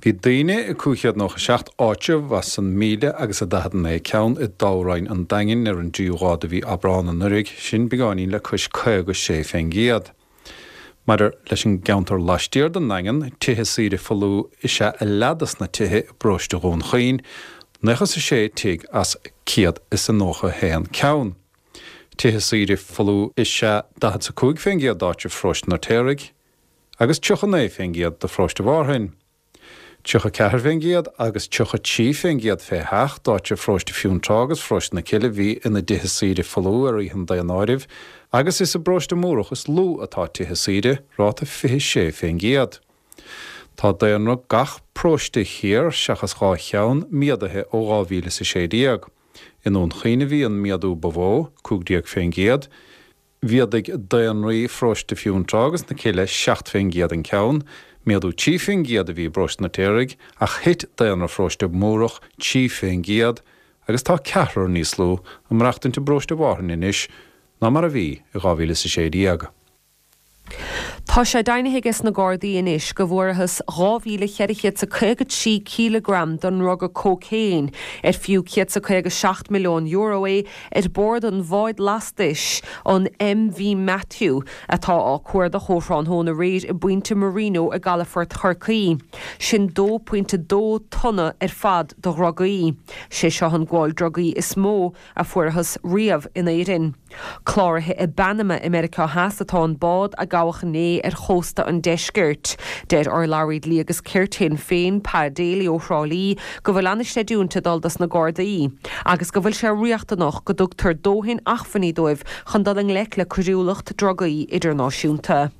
Bhí daoine i 597 áitreabh as an míle agus a 49 ceann i dtoghroinn an Daingin ar an dtríú lá de mhí Aibreán anuraidh, sin beagáinín le cois 56 fén gcéad. Maidir leis an gceantar laistiar den nDaingean, tithe saoire folamh is ea a leath dos na tithe i bparóiste Dhún Chaoin, 96 tigh as 191 ceann. Tithe saoire folamh is ea 45 fén gcéad d'áitribh pharóiste an Fheirtéaraigh agus 39 fén gcéad do pharóiste Mhárthain. 34 fén gcéad agus 33 fén gcéad fé sheach d'áitribh pharóiste Fionntrá agus pharóiste na Cille a bhí ina dtithe saoire folamh ar oíche an daonáirimh agus is i bparóiste Múrach is lú atá tithe saoire, ráta 26 fén gcéad. Tá daonra gach paróiste thiar, seachas 2 cheann, méadaithe ó 2016. I nDún Chaoin a bhí an méadú ba mhó, 15 fén gcéad. Mhéadaigh daonraí pharóiste Fionntrá agus na Cille 7 fén gcéad an ceann, méadú 3 fén gcéad a bhí i bparóiste an Fheirtéaraigh ach thit daonra pharóiste Múrach 3 fén gcéad agus tá ceathrar níos lú ag maireachtaint i bparóiste Mhárthain anois ná mar a bhí i 2016. Tá sé deimhnithe aige sna Gardaí anois go bhfuarathas 2,453 cileagram den ndruga cócaon, ar fiú €157 milliún é, ar bord an bháid lastais, an MV Matthew, atá á cuardach ó thráthnóna aréir i bPointe Marino i gcalafort Chorcaí. Sin 2.2 tonna ar fad de dhrugaí. Sé seo an gabháil drugaí is mó a fuarathas riamh in Éirinn. Cláraithe i bPanama i Meiriceá Theas atá an bád a gabhadh inné ar chósta an deiscirt. Deir urlabhraí dlí agus cirt Shinn Féin, Pa Daly ó Thrá Lí, go bhfuil an-chreidiúint ag dul dos na Gardaí agus go bhfuil sé riachtanach go dtugtar dóthain achmhainní dóibh chun dul i ngleic le coiriúlacht drugaí idirnáisiúnta.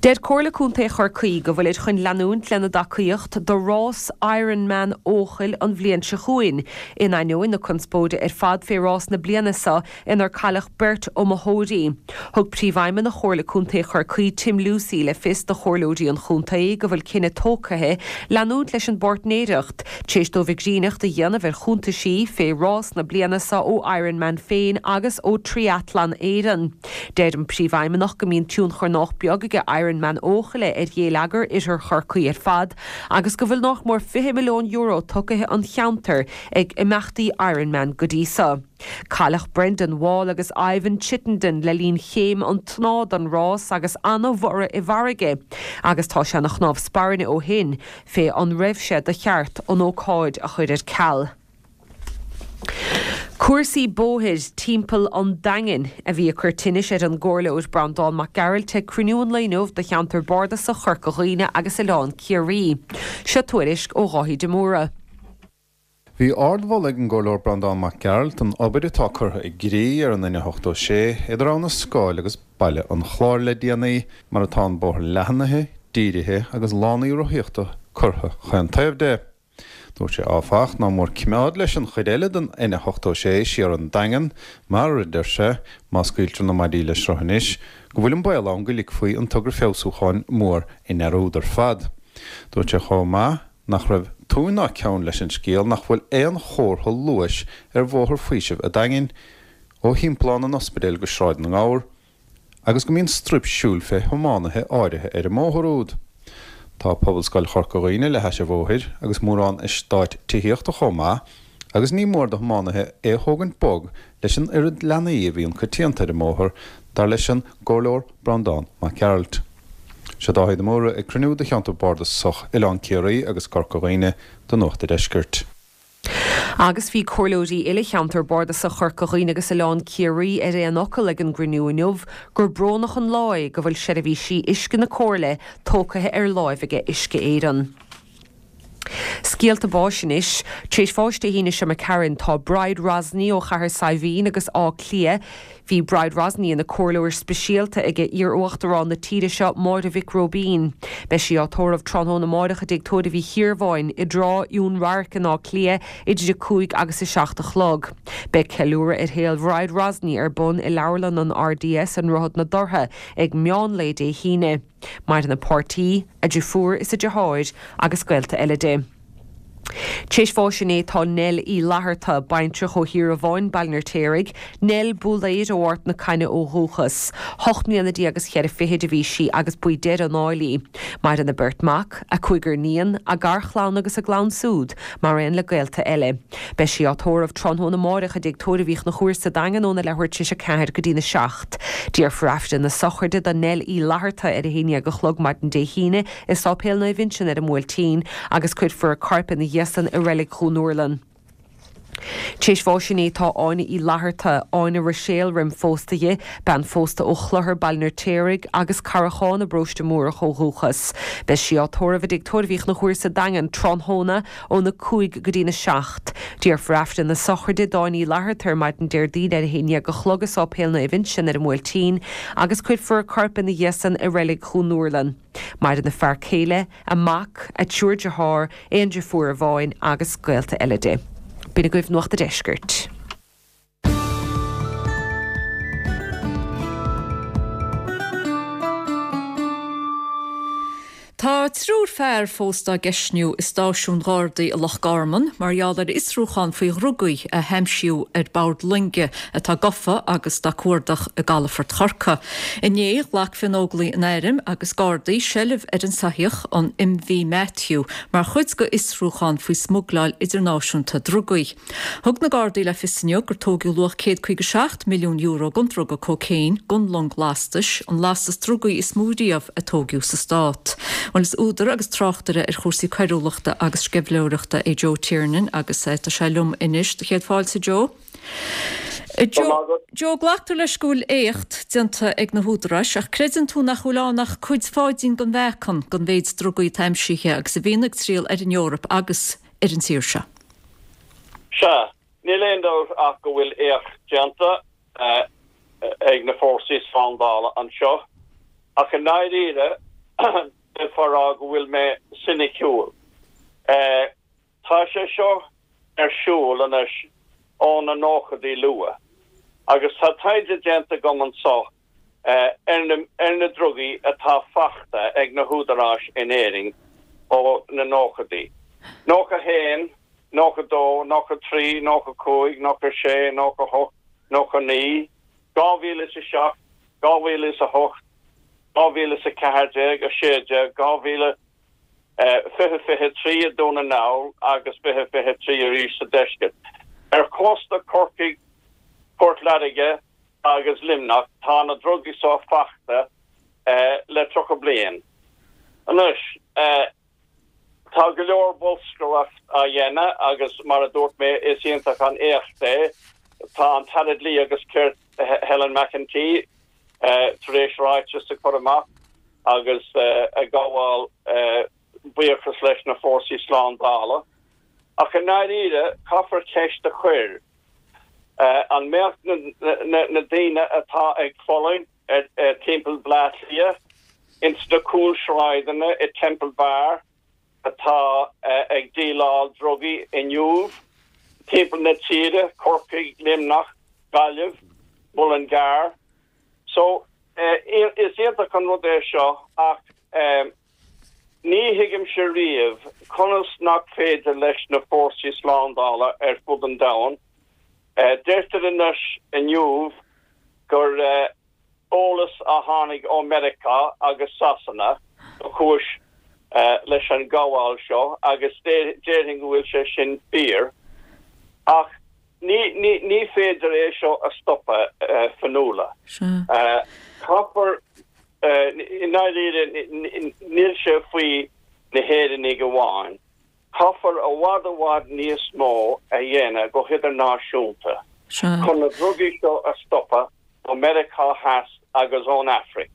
Deir Comhairle Contae Chorcaí go bhfuilid chun leanúint lena dtacaíocht do rás Ironman Eochaill an bhliain seo chugainn, in ainneoin na conspóide ar fad fé rás na bliana seo inar cailleadh beirt iomaitheoirí. Thug Príomhfheidhmeannach Chomhairle Contae Chorcaí Tim Lucey le fios do chomhairleoirí an chontae go bhfuil cinneadh tógtha leanúint leis an bpáirtnéireacht, Tar éis dóibh coigríneacht a dhéanamh ar chuntaisí fé rás na bliana seo ó Ironman féin agus ó Triathlon Éireann, deir an Príomhfheidhmeannach go mbíonn tionchar nách beag aige Ironman. Ironman Eochaille ar ghéilleagar Oirthear Chorcaí ar fad agus go bhfuil nách mór €20 milliún tucaithe 'on cheantar ag imeachtaí Ironman go dtí so. Cailleadh Brendan Wall agus Ivan Chittenden le linn chéim an tnáth don rás agus ana-bhorradh i bhfarraige agus tá sé ina chnámh spairne ó shin fé an raibh sé de cheart an ócáid a chur ar ceal. Cúrsaí bóthair timpeall an Daingin a bhí ag cur tinnis ar an gComhairleoir Breandán Mac Gearailt ag cruinniú an lae inniu do cheantar bardasach Chorca Dhuibhne agus Oileán Ciarraí. Seo tuairisc ó Dháithí de Mórdha. Bhí ardmholadh ag an gComhairleoir Breandán Mac Gearailt don obair atá curtha i gcrích ar an N86 idir Abha na Scáil agus Baile an Chláir le déanaí, mar atá an bóthar leathnaithe, dírithe agus lánaí rothaíochta curtha chaon taobh de. Dúirt sé áfach ná mór cimeád leis an chuid eile den N86 siar an Daingean mar, a deir sé, má scaoiltear na maidí le sruth anois, go bhfuil an baol ann go ligfí an togra feabhsúcháin mór i ndearúd ar fad. Dúirt sé chomh maith nach raibh tóin ná ceann leis an scéal nach bhfuil aon chomhartha luais ar Bhóthar Faoisimh a' Daingin, ó Thimpeallán an Ospidéil go Sráid na nGabhar, agus go mbíonn straidhp siúil fé thiománaithe áirithe ar an mbóthar úd. Tá Pobalscoil Chorca Dhuibhne le hais an bhóthair agus mórán eastáit tithíochta chomh maith, agus ní mór do thiománaithe é a thógaint bog leis an oiread leanaí a bhíonn coitianta ar an mbóthar, dar leis an gComhairleoir Breandán Mac Gearailt. Seo Dáithí de Mórdha ag cruinniú de cheantar bardasach Oileán Ciarraí agus Corca Dhuibhne do Nuacht a' Deiscirt. Agus bhí comhairleoirí uile cheantar bardasach Chorca Dhuibhne agus Oileán Ciarraí ar aon fhocal ag an gcruinniú inniu gur brónach an lá é go bhfuil seirbhísí uisce na comhairle tógtha ar láimh aige Uisce Éireann. Scéalta báis anois. Tar éis bháis Dé hAoine seo imigh tharainn tá Bride Rosney ó Chathair Saidhbhín agus Áth Cliath. Bhí Bride Rosney ina comhairleoir speisialta ag iar-uachtarán na tíre seo, Máire Mhic Róibín. Beidh sí á tórramh tráthnóna amáireach i dTigh Tórraimh Uí Chiarbháin i dTrá Fhionnradhairc in Áth Cliath idir 5 agus 7 a chlog. Beidh ceiliúradh ar shaol Bhride Rosney ar bun i Leabharlann an RDS i nDroichead na dTortha ag meán lae Dé hAoine. Maireann a páirtí, a deirfiúr is a deartháir agus gaolta eile di. Tar éis bháis inné tá Nell Uí Fhlatharta, baintreach ó Thír an Bháin, Baile an Fheirtéaraigh, Nell Búlaeir ó Ard na Caithne ó dhúchas. Hocht mbliana déag is cheithre fichid a bhí sí agus ba í deireadh a n-áil í. Maireann a beirt mac, a cúigear níon, a garchlann agus a gclann súd, mar aon le gaolta eile. Beidh sí á tórramh tráthnóna amáireach i dTigh Tórraimh Uí Chonchúir sa Daingean óna leathuair tar éis a 4 go dtína 7. Déarfar Aifreann na sochraide do Nell Uí Fhlatharta ar a 11 a chlog maidin Dé hAoine i Sáipéal Naomh Uinseann ar an mBuailtín agus cuirfear a corp ina dhiaidh san i Reilig Dhún Úrlann. Tar éis bháis inné tá Áine Uí Fhlatharta, Áine Ruiséal roim phósta di, bean phósta ó Chlochar, Baile an Fheirtéaraigh, agus Carrachán i bParóiste Múrach ó dhúchas. Beidh sí á tórramh i dTigh Tórraimh Uí Chonchúir sa Daingean tráthnóna óna 5 go dtína 7. Déarfar Aifreann na sochraide d'Áine Uí Fhlatharta ar maidin Déardaoin ar a 11 a chlog i Sáipéal Naomh Uinseann ar an mBuailtín agus cuirfear a corp ina dhiaidh san i Reilig Dhún Úrlann. Maireann a fear céile, a mac, a triúr dearthár, aon deirfiúr amháin agus gaolta eile di. B'in agaibh Nuacht a' Deiscirt. Tá triúr fear fós dá gceistniú i stáisiún Ghardaí i Loch Garman mar gheall ar fhiosrúchán faoi dhrugaí a haimsíodh ar bord loinge atá gafa agus dá cuardach i gcalafort Chorcaí. Inné, ghlac Fiannóglaigh an Airm agus Gardaí seilbh ar an soitheach, an MV Matthew, mar chuid de fhiosrúchán faoi smugláil idirnáisiúnta drugaí. Thug na Gardaí le fios inniu gur tóigeadh luach €157 milliún den druga cócaon den long lastais, an lastas drugaí is mó riamh a tóigeadh sa stát. Bhuel, is údar agus tráchtaire ar chúrsaí coiriúlachta agus sceimhlitheoireachta é Joe Tiernan agus tá sé liom anois. Do chéad fáilte, Joe. Joe, glactar leis go bhfuil éacht déanta ag na húdaráis ach creideann tú nach bhfuil ann ach cuid pháidín den mheáchan den mhéid drugaí atá aimsithe agus a bhíonn ag triall ar an Eoraip agus ar an tír seo. Sea, níl aon dabht ach go bhfuil éacht déanta ag na fórsaí slándála anseo, ach i ndáiríre, d'fhéadfá a rá go bhfuil mé soiniciúil. Tá sé seo ar siúl anois ó na nóchaidí luath, agus tá taighde déanta agam anso ar na drugaí atá fachta ag na húdaráis in Éirinn ó na nóchaidí, 91, 92, 93, 95, 96, 98, 99, 2007, 2008. 2014, 16, 2000, 2023 i Dún na nGall agus 2023 arís sa deisceart. Ar chósta Chorcaí, Port Láirge agus Luimneach tá na drugaí seo fachta le 30 bliain anois. Tá go leor bolscaireacht á dhéanamh agus mar a dúirt mé is iontach an éacht é. Tá an tAire Dlí agus Cirt Helen McEntee tar éis ráiteas a chur amach agus ag gabháil buíochas leis na fórsaí slándála. Ach i ndáiríre, caithfear ceist a chur, an mbeadh na daoine atá ag fulaingt timpeall Bhleá Cliath, ins na cúlsráideanna i Temple Bar, atá ag díleáil drugaí inniu timpeall na tíre, Corcaigh, Luimneach, Gaillimh, Mullingar. So, is iontach an rud é seo ach ní thuigimse riamh conas nach féidir leis na fórsaí slándála ar fud an domhain, deirtear anois inniu gur eolas a tháinig ó Meiriceá agus Sasana ba chúis leis an ghabháil seo agus déarfainn go bhfuil sé sin fíor. Ach ní féidir é seo a stopadh, Fionnuala. Caithfear, i ndáiríre, níl sé faoi na hÉireannaigh amháin. Caithfear i bhfad i bhfad níos mó a dhéanamh go hidirnáisiúnta chun na drugaí seo a stopadh ó Meiriceá Theas agus ón Afraic.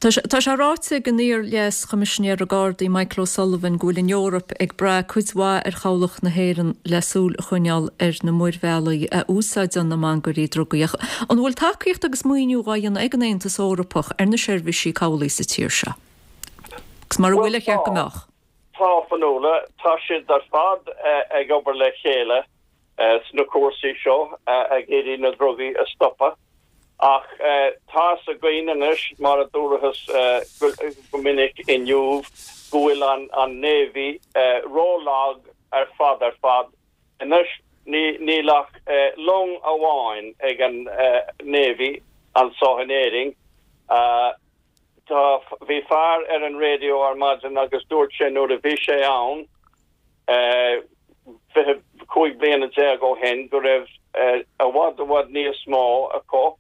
Tá sé ráite ag an iar-Leas-Choimisinéir Gardaí Michael O'Sullivan go bhfuil an Eoraip ag brath cuid mhaith ar chabhlach na hÉireann le súil a choinneáil ar na muirbhealaí a úsáideann na mangairí drugaí. Ach an bhfuil tacaíocht agus maoiniú dhá dhéanamh ag an Aontas Eorpach ar na seirbhísí cabhlaigh sa tír seo? Agus mura bhfuil, ar cheart go mbeadh? Tá, Fionnuala, tá siad ar fad ag obair le chéile sna cúrsaí seo, ag iarraidh na drugaí a stopadh. Ach tá fhios againn anois, mar a dúrathas go minic inniu, go bhfuil an Navy ró-lag ar fad ar fad. Anois níl ach long amháin ag an Navy anso in Éirinn. Tá, bhí fear ar an raidió ar maidin agus dúirt sé nuair a bhí sé ann 25 bliana ó shin go raibh i bhfad i bhfad níos mó acu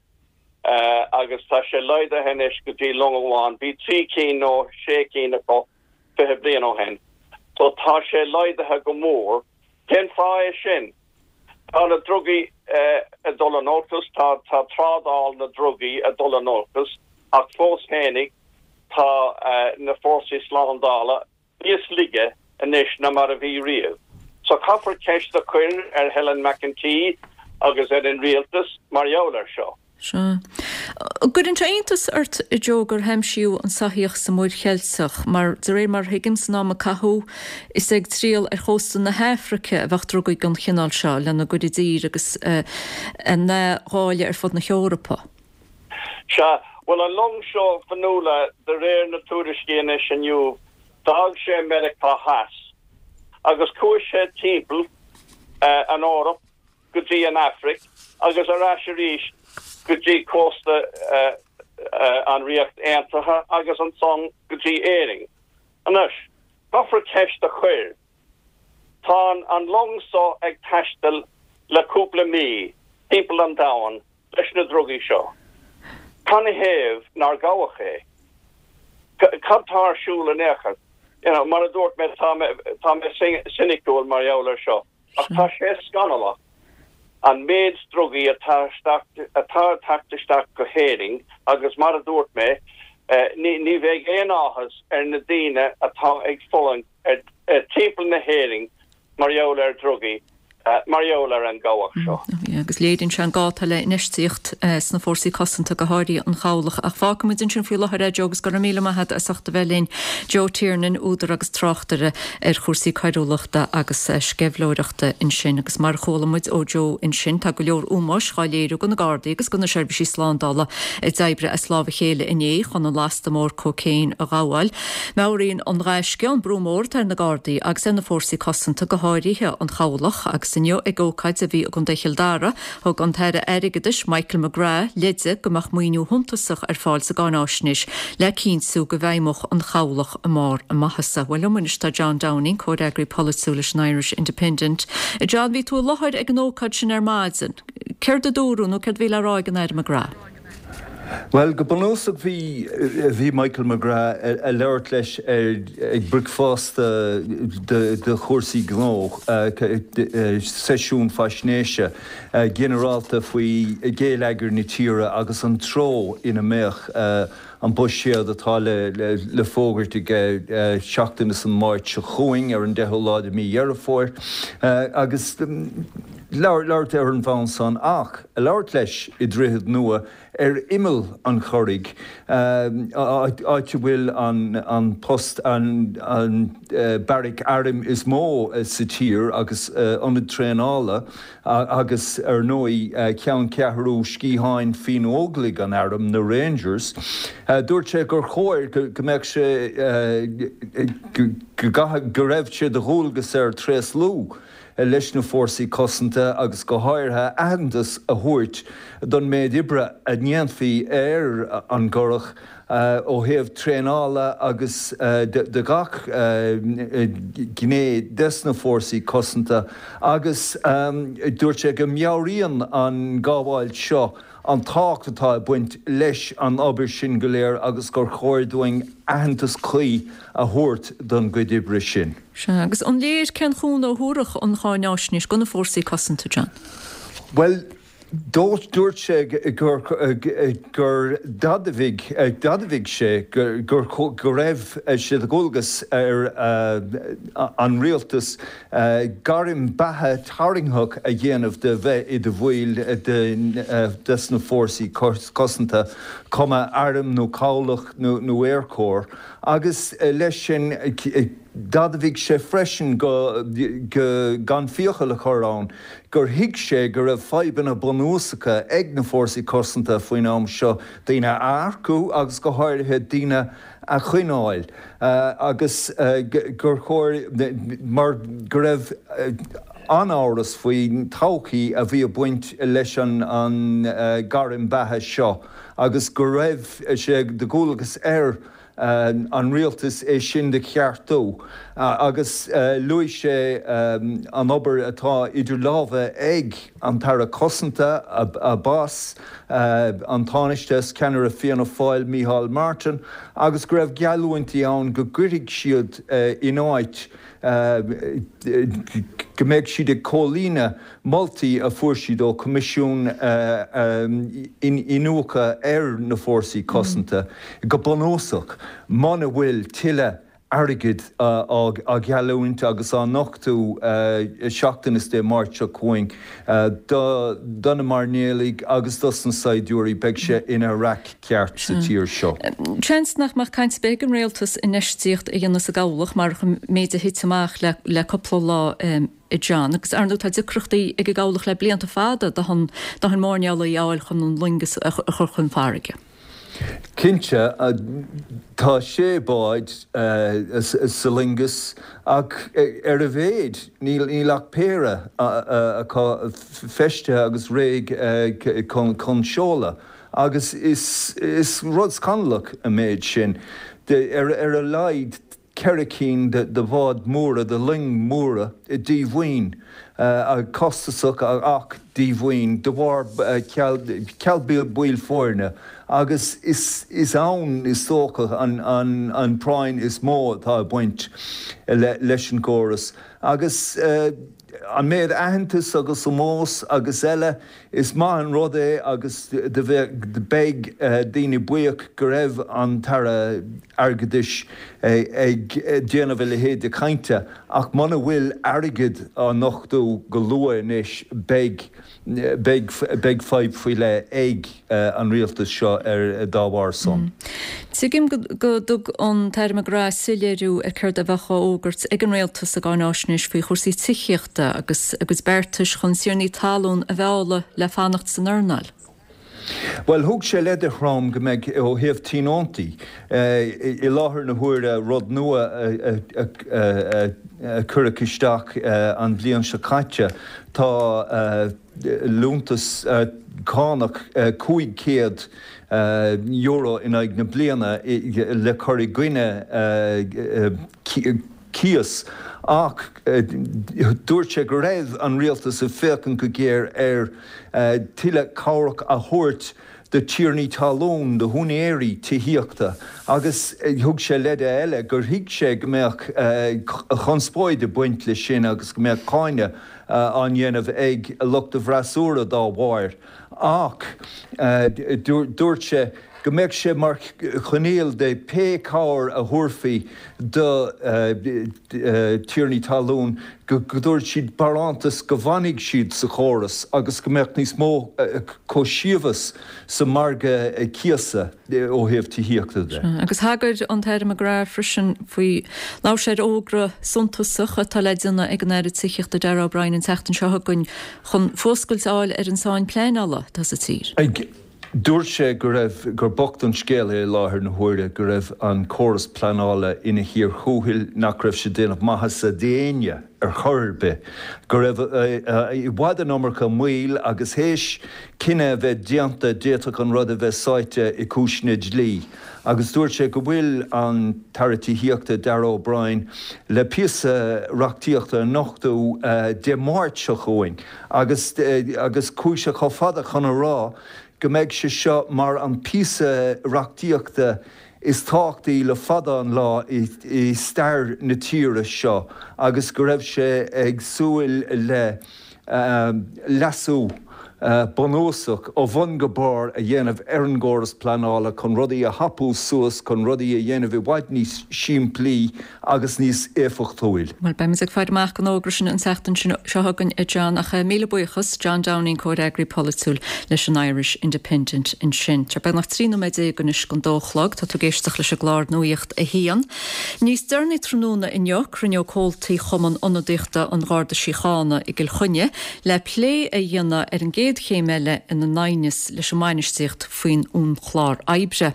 agus tá sé laghdaithe anois go dtí long amháin. Bhí 3 cinn nó 6 cinn acu 20 bliain ó shin. So tá sé laghdaithe go mór. Cén fáth é sin? Tá na drugaí ag dul in olcas, tá trádáil na ndrugaí ag dul in olcas, ach fós fhéinig tá na fórsaí slándála níos laige anois ná mar a bhí riamh. So caithfear ceist a chur ar Helen McEntee agus ar an rialtas mar gheall air seo. Sea. An gcuireann sé iontas ort, a Joe, gur haimsíodh an soitheach sa Mhuir Cheilteach, mar, de réir mar a thuigim, san am a caitheadh, is ag triall ar chósta na hAfraice a bheadh drugaí den chineál seo lena gcur i dtír agus a ndháileadh ar fud na hEorpa. Sea. Bhuel, an long seo, Fionnuala, de réir na tuairiscí anois inniu, d'fhág sé Meiriceá Theas agus chuaigh sé timpeall an Eoraip, go dtí an Afraic agus ar ais arís go dtí cósta an Ríocht Aontaithe agus ansan go dtí Éirinn. Anois, caithfear ceist a chur. Tá an long so ag taisteal le cúpla mí timpeall an domhain leis na drugaí seo. Canathaobh nár gabhadh é? Cad tá ar siúl in aon chor? You know, mar a dúirt mé, tá mé, tá mé soiniciúil mar gheall air seo. Ach tá sé scannalach an méid drugaí atá atá ag teacht isteach go hÉirinn agus mar a dúirt mé, ní bheidh aon áthas ar na daoine atá ag fulaingt timpeall na hÉireann mar gheall ar drugaí, mar gheall ar an gcabhach seo. Agus léiríonn sé an gá atá le infheistíocht sna fórsaí cosanta, go háirithe an chabhlach. Ach fágfaidh muid ansin faoi láthair é, Joe, agus go raibh míle maith agat as ucht a bheith linn. Joe Tiernan, údar agus tráchtaire ar chúrsaí coiriúlachta agus sceimhlitheoireachta ansin. Agus mar a chuala muid ó Joe ansin, tá go leor ómóis dhá léiriú go na Gardaí agus go na seirbhísí slándála a d'oibrigh as lámh a chéile inné chun an lasta mór cócaon a ghabháil. Meabhraíonn an gaisce an brú mór atá ar na Gardaí agus ar na fórsaí cosanta, go háirithe an chabhlach, agus. Agus inniu ag ócáid a bhí i gContae Chill Dara, thug an tAire Airgeadais Michael McGrath leide go mbeadh maoiniú shuntasach ar fáil sa gcáináisnéis le cinntiú go bhfeidhmeodh an chabhlach i mbarr a maitheasa. Bhuel liom anois tá John Downing, comhfhreagraí polaitiúil leis an Irish Independent. A John, bhí tú i láthair ag an ócáid sin ar maidin. Céard a dúradh nó céard a bhí le rá ag an Aire McGrath? Bhuel, go bunúsach bhí, bhí Michael McGrath ag labhairt leis ag bricfeasta de chúrsaí gnó, seisiún faisnéise ginearálta faoi ghéilleagar na tíre agus an treo ina mbeadh an buiséad atá le fógairt aige seachtain is an Máirt seo chugainn, ar an deichiú lá de mhí Dheireadh Fómhair, agus labhairt ar an bhonn san ach ag labhairt leis i Droichead Nua ar imeall an Churraigh, áit a bhfuil an post, an beairic airm is mó sa tír agus ionad traenála. Agus, ar ndóigh, ceanncheathrú Sciatháin Fianna-Óglaigh an Airm, na Rangers. Dúirt sé gur chóir go mbeadh sé, go gcaithfidh, go raibh sé de dhualgas air tréaslú leis na Fórsaí Cosanta agus go háirithe aitheantas a thabhairt don méid oibre a ndéanfaí ar an gCurrach ó thaobh traenála agus de gach gné des na fórsaí cosanta agus dúirt sé go meabhraíonn an ghabháil seo an tábhacht atá ag baint leis an obair sin go léir agus gur chóir dúinn aitheantas cuí a thabhairt don gcuid oibre sin. Sea, agus an léir cén chúnamh a thabharfadh an cháináisnéis do na fórsaí cosanta, John? Bhuel, Dúirt sé gur d'admhaigh sé go raibh sé de dhualgas ar an rialtas gairm beatha tarraingtheach a dhéanamh de bheith i do bhaill des na fórsaí cosanta, cuma airm nó cabhlach nó aerchór, agus leis sin d'admhaigh sé freisin go gan fiacail a chur ann gur thuig sé go raibh fadhbanna bunúsacha ag na Fórsaí Cosanta faoin am seo, daoine a earcú agus go háirithe daoine a choinneáil agus gur chóir, mar go raibh an-amhras faoin todhchaí a bhí ag baint leis an gairm beatha seo agus go raibh sé de dhualgas ar an rialtas é sin do cheartú agus luaigh sé an obair atá idir lámha ag an tAire Cosanta, a boss, an Tánaiste is ceannaire Fianna Fáil, Micheál Martin, agus go raibh geallúintí ann go gcuirfidh siad in áit go mbeidh siad ag comhlíonadh moltaí a fuair siad ó Choimisiún Iniúchadh ar na Fórsaí Cosanta, go bunúsach, muna bhfuil tuilleadh airgid á gheallúint agus á nochtú seachtain is Dé Máirt seo chugainn do na mairnéalaigh agus dos na saighdiúirí, beidh sé ina raic ceart sa tír seo. Seans nach mbeadh caint ar bith ag an rialtas infheistíocht a dhéanamh sa gcabhlach marach an méid a thit amach le cúpla lá. a John, agus ar ndóigh tá deacrachtaí ag an gcabhlach le blianta fada dóthain mairnéalaigh a fháil chun an loingeas a chur chun farraige. Cinnte, tá sé bád sa loingeas ach ar a mhéid níl ach péire acu feistithe agus réidh chun seoladh agus is rud scannalach an méid sin. Ar a laghad 4 cinn de bháid mhóra, de loing mhóra, díomhaoin, costasach ach díomhaoin, de bharr ceal baill foirne agus is ann is dócha an práinn is mó atá ag baint leis an gcóras. Agus an méid aitheantais agus ómós agus eile, is maith an rud é agus beidh daoine buíoch go raibh an tAire Airgeadais ag déanamh a leithéid de chainte ach muna bhfuil airgead á nochtú go luath anois beidh beidh beidh fadhb faoi leith ag an rialtas seo ar dá bharr san. Tuigim go dtug an tAire McGrath soiléiriú ar céard a bheadh á fhógairt ag an Rialtas sa gcáináisnéis faoi chúrsaí tithíochta agus a gcuid beartais chun tiarnaí talún a mhealladh le fanacht san earnáil. Bhuel, thug sé leide throm go mbeidh, ó thaobh tionóntaí, i láthair na huaire, rud nua a cuireadh isteach an bhliain seo caite, tá liúntas cánach €500 in aghaidh na bliana le cur i gcoinne cíos ach dúirt sé go raibh an rialtas ag féachaint go géar ar tuilleadh cabhrach a thabhairt do tiarnaí talún, do húinéirí tithíochta agus thug sé leide eile gur thuig sé go mbeadh conspóid ag baint leis sin agus go mbeadh cáineadh á ndéanamh ag lucht a bhfreasúra dá bharr ach dúirt sé go mbeadh sé mar choinníoll de pé cabhair a thabharfaí do thiarnaí talún go dtabharfadh siad barántas go bhfanfaidh siad sa chóras agus go mbeadh níos mó comhsheasmhas sa margadh cíosa ó thaobh tithíochta de. Agus thagair an tAire McGrath freisin faoi, labhair sé ar fhógra suntasach atá le déanamh ag an Aire Tithíochta Darragh O'Brien an tseachtain seo chugainn chun fuascailt a fháil ar an tsáinn pleanála atá sa tír. Dúirt sé go raibh, gur bocht an scéal é i láthair na huaire, go raibh an córas pleanála ina chíor thuathail, nach raibh sé ag déanamh maitheasa d'éinne ar chor ar bith, go raibh i bhfad an iomarca moill agus théis cinneadh a bheith déanta d'fhéadfadh an rud a bheith sáite i cúiseanna dlí. Agus dúirt sé go bhfuil an tAire Tithíochta, Darragh O'Brien, le píosa reachtaíochta a nochtadh Dé Máirt seo chugainn agus agus chuaigh sé chomh fada chun a rá go mbeidh sé seo mar an píosa reachtaíochta is tábhachtaí le fada an lá i stair na tíre seo agus go raibh sé ag súil le leasú bunúsach ó bhun go barr a dhéanamh ar an gcóras pleanála chun rudaí a thapú suas, chun rudaí a dhéanamh i bhfad níos simplí agus níos éifeachtúil. Bhuel, beimid ag faire amach don fhógra sin an tseachtain seo chugainn, a John, ach míle buíochas, John Downing, Comhfhreagraí Polaitiúil leis an Irish Independent ansin. Tá beagnach 13 nóiméad anois don dó a chlog. Tá tú ag éisteacht leis an gclár Nuacht a hAon. Níos deireanaí tráthnóna inniu, cruinneoidh comhaltaí Chumann Ionadaíochta an Gharda Síochána i gCill Chainnigh le plé a dhéanamh ar an gcéad chéim eile ina n-aighneas leis an mbainistíocht faoin uainchlár oibre.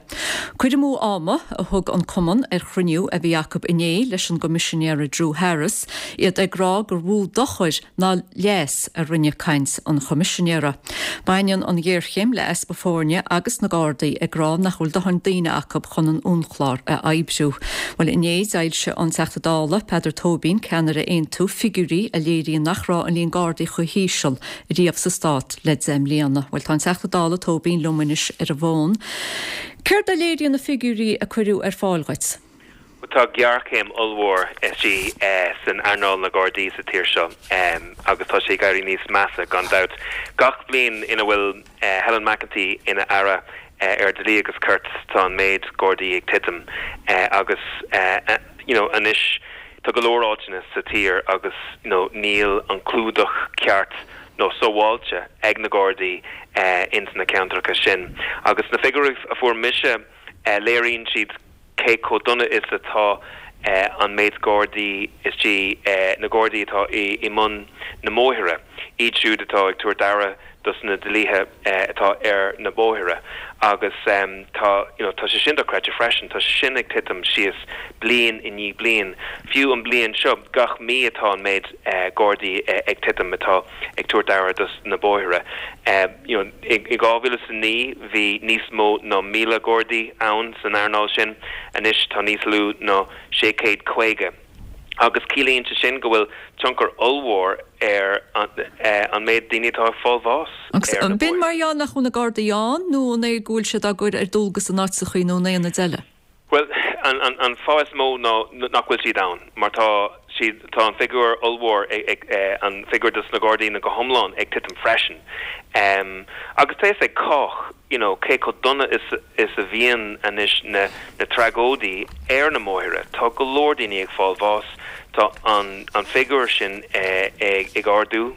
Cur amú ama a thug an cumann ar chruinniú a bhí acu inné leis an gCoimisinéara Drew Harris, iad ag rá gur mhó dochar ná leas a rinne caint an Choimisinéara. Baineann an ghéarchéim le easpa foirne agus na Gardaí ag rá nach bhfuil dóthain daoine acu chun an uainchlár a oibriú. Bhuel, inné d'fhoilsigh an Teachta Dála, Peadar Tóibín, ceannaire Aontú, figiúirí a léiríonn nach raibh an líon Gardaí chomh híseal riamh sa stát le 10 mbliana. Bhuel, tá an Teachta Dála Tóibín liom anois ar an bhfón. Céard a léiríonn na figiúirí a cuireadh ar fáil dhuit? Tá géarchéim ollmhór istigh san earnáil na Gardaí sa tír seo agus tá sé ag éirí níos measa gan dabht. Gach bliain ina bhfuil Helen McEntee ina Aire ar Dlí agus Cirt tá an méid Gardaí ag titim agus you know anois tá go leor áiteanna sa tír agus you know níl an clúdach ceart nó sábháilte ag na Gardaí ins na ceantracha sin. Agus na figiúirí a fuair mise léiríonn siad cé chomh dona is atá an méid Gardaí istigh, na Gardaí atá i mbun na mbóithre, iad siúd atá ag tabhairt aire dos na dlíthe atá ar na bóithre agus tá, you know, tá sé sin dochreidte freisin, tá sé sin ag titim síos bliain i ndiaidh bliain. Fiú an bliain seo, gach mí atá an méid Gardaí ag titim atá ag tabhairt aire dos na bóithre. You know, i 2009 bhí níos mó ná 1,000 Gardaí ann san earnáil sin, anois tá níos lú ná 650. Agus ciallaíonn sé sin go bhfuil tionchar ollmhór ar an méid daoine atá ag fáil bháis Agus ar na an b'in bóithre. mar gheall nach bhfuil na Gardaí ann nó an é go bhfuil siad á gcur ar dualgas in áiteachaí nó in aonaid eile? Bhuel, an fáth is mó ná nach bhfuil siad ann, mar tá siad, tá an figiúr ollmhór ag, an figiúr dos na Gardaí go hiomlán ag titim freisin. Agus tá fhios ag cách, you know, cé chomh dona is is a bhíonn anois na na tragóidí ar na mbóithre. Tá go leor daoine ag fáil bháis, tá an an figiúr sin ag ag ardú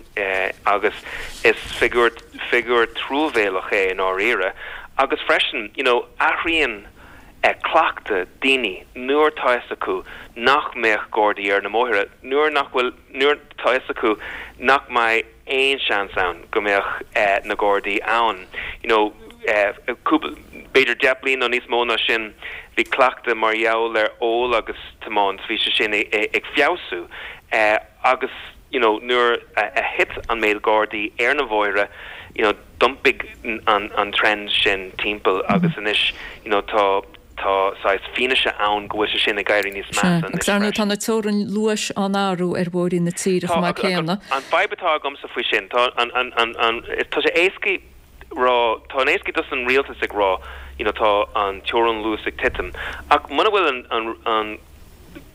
agus is figiúr figiúr truamhéalach é i ndáiríre. Agus freisin, you know, athraíonn cleachtadh daoine nuair tá fhios acu nach mbeadh Gardaí ar na mbóithre, nuair nach bhfuil, nuair tá fhios acu nach mbeidh aon seans ann go mbeadh na Gardaí ann. You know. cúpla, b'fhéidir 10 bliain nó níos mó ná sin, bhí cleachtadh mar gheall ar ól agus tiomáint, bhí sé sin ag feabhsú agus you know nuair a thit an méid Gardaí ar na bóithre, you know d'iompaigh an trend sin timpeall agus anois you know tá tá saghas fianaise ann go bhfuil sé sin ag éirí níos measa anois Agus ar ndóigh tá na teorainn luais á n-athrú ar bhóithrí na tíre chomh maith céanna. An fadhb atá agamsa faoi sin, tá an, an, an, an, tá sé éascaí rá, tá an éascaí dos an rialtas ag rá you know tá an teorainn luais ag titim ach muna bhfuil an, an, an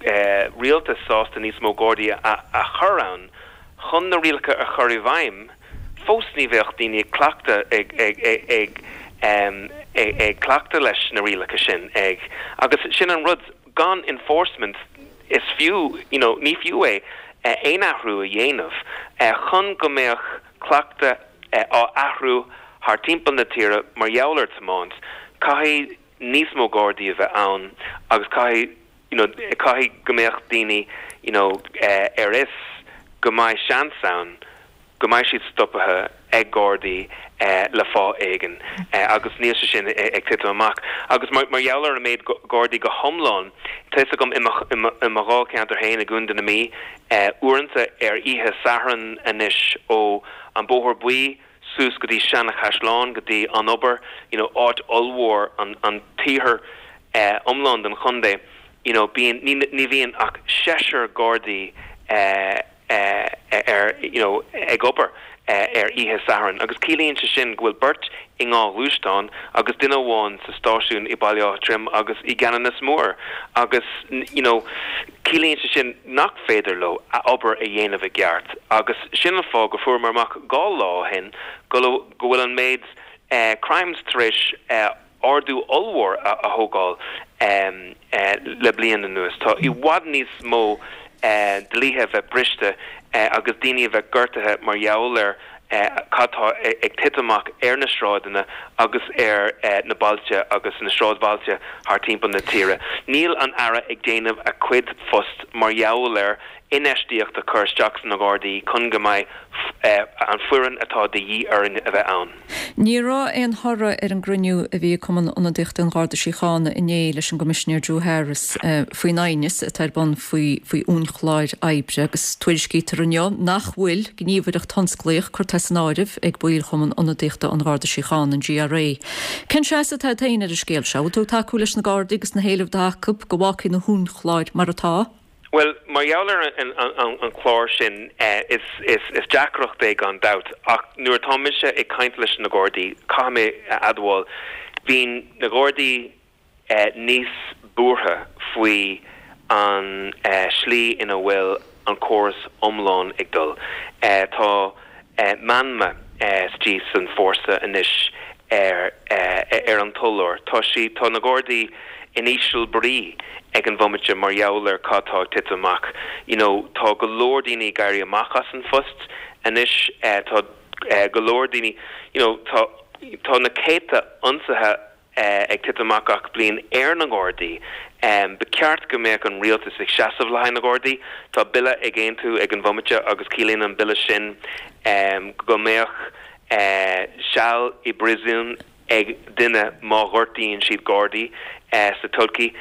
eh, rialtas sásta níos mó Gardaí a, a chur ann chun na rialacha a chur i bhfeidhm, fós ní bheadh daoine ag cleachtadh ag ag ag ag ag cleachtadh leis na rialacha sin ag agus sin an rud gan enforcement is fiú you know ní fiú é aon athrú a dhéanamh chun go mbeadh cleachtadh á athrú thar timpeall na tíre mar gheall ar tiomáint caithfidh níos mó Gardaí a bheith ann agus caithfidh you know caithfidh go mbeadh daoine you know ar fhios go mbeidh seans ann go mbeidh siad stoptha ag Gardaí le fáth éigin agus níl sé sin ag titim amach. Agus mar gheall ar an méid Gardaí go hiomlán, tá fhios agam i mo dháilcheantar féin i gContae na Mí, uaireanta ar oíche Sathairn anois ó an Bóthar Buí suas go dtí Seanachaisleán, go dtí an Obair, you know áit ollmhór, an an t-iarthar iomlán den chontae, you know bíonn, ní ní bhíonn ach seisear Gardaí ar you know ag obair ar oíche Sathairn agus ciallaíonn sé sin go bhfuil beirt i ngach gluaisteán agus duine amháin sa stáisiún i Baile Átha Troim agus i gCeanannas Mór agus you know ciallaíonn sé sin nach féidir leo a obair a dhéanamh i gceart agus sin an fáth go fuaireamar amach 2 lá ó shin go go bhfuil an méid crimes tar éis ardú ollmhór a thógáil le bliain anuas. Tá i bhfad níos mó dlíthe a bheith briste agus daoine a bheith gortaithe mar gheall ar cad tá ag titim amach ar na sráideanna agus ar na bailte agus na sráidbhailte thar timpeall na tíre. Níl an Aire ag déanamh a cuid phost mar gheall ar infheistíocht a chur isteach sna Gardaí chun go mbeidh an foireann atá de dhíth orainn a bheith ann. Ní raibh aon thoradh ar an gcruinniú a bhí ag Cumann Ionadaíochta an Gharda Síochána inné leis an gCoimisinéir Drew Harris faoin aighneas atá ar bun faoi faoi uainchlár oibre agus tuairiscítear inniu nach bhfuil gníomhaireacht thionsclaíoch curtha as an áireamh ag baill Chumann Ionadaíochta an Gharda Síochána, an GRA. Cén seasamh atá agat féin ar an scéal seo? Bhfuil tú ag tacú leis na Gardaí agus na héilimh atá acu go bhfágfaí na huainchlár mar atá? Bhuel, mar gheall ar an chlár sin, is deacracht é gan dabht, ach nuair atá mise ag caint leis na Gardaí, caithfidh mé a admháil, bíonn na Gardaí níos buartha faoi an slí ina bhfuil an córas iomlán ag dul. Tá meanma istigh san fórsa anois ar ar an tulóir. Tá sí, tá na Gardaí in íseal brí ag an bhomaite mar gheall ar cad tá ag titim amach. You know, tá go leor daoine ag éirí amach as an phost anois, tá go leor daoine, you know, tá tá na céadta ionsaithe ag titim amach gach bliain ar na Gardaí. Ba cheart go mbeadh an rialtas ag seasamh le haghaidh na Gardaí. Tá bille ag aontú ag an bhomaite agus ciallaíonn an bille sin go mbeadh seal i bpríosún ag duine má ghortaíonn siad Gardaí sa todhchaí.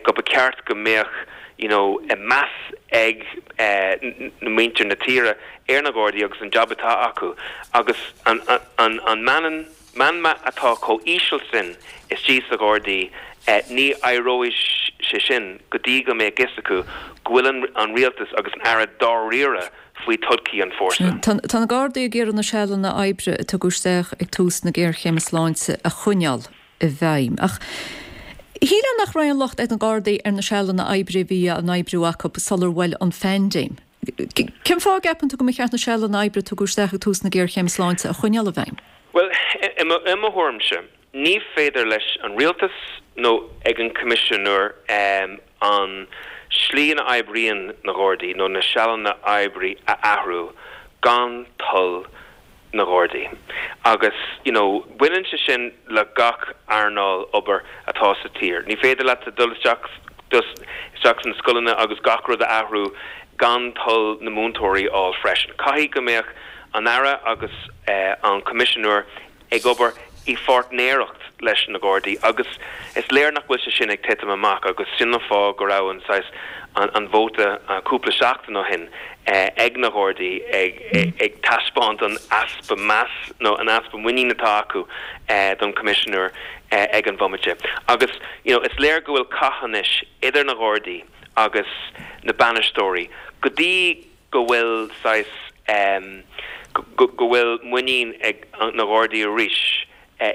Go ba cheart go mbeadh you know meas ag muintir na tíre ar na Gardaí agus an jab atá acu agus an an meanman Meanma atá chomh íseal sin istigh sa Ghardaí, ní éireoidh sé sin go dtí go mbeidh fhios acu go bhfuil an rialtas agus an Aire dáiríre faoi todhchaí an fórsa. Tá na Gardaí ag iarraidh na sealanna oibre a tugadh isteach ag tús na géarchéime sláinte a choinneáil i bhfeidhm. Ach shílfeá nach raibh aon locht ar na Gardaí ar na sealanna oibre a bhí á n-oibriú acu sular bhuail an phaindéim. Cén fáth a gceapann tú go mba cheart na sealanna oibre a tugadh isteach ag tús na géarchéime sláinte a choinneáil i bhfeidhm? Bhuel, i mo thuairimse, ní féidir leis an rialtas nó ag an Coimisinéir an slí ina oibríonn na Gardaí nó na sealanna oibre a athrú gan toil na Gardaí. Agus, you know, baineann sé sin le gach earnáil obair atá sa tír. Ní féidir leat dul isteach isteach sna scoileanna agus gach rud a athrú gan toil na múinteoirí a fháil freisin. Caithfidh go mbeadh an Aire agus an Coimisinéir ag obair. i pháirtnéireacht leis na Gardaí agus is léir nach bhfuil sé sin ag titim amach agus sin an fáth go raibh an saghas an vóta cúpla seachtain ó shin ag na Gardaí ag ag taispeáint an easpa meas nó an easpa muinín atá acu don Coimisinéir ag an bhomaite. Agus you know is léir go bhfuil cath anois idir na Gardaí agus na bainisteoirí go dtí go bhfuil saghas go bhfuil muinín ag na Gardaí arís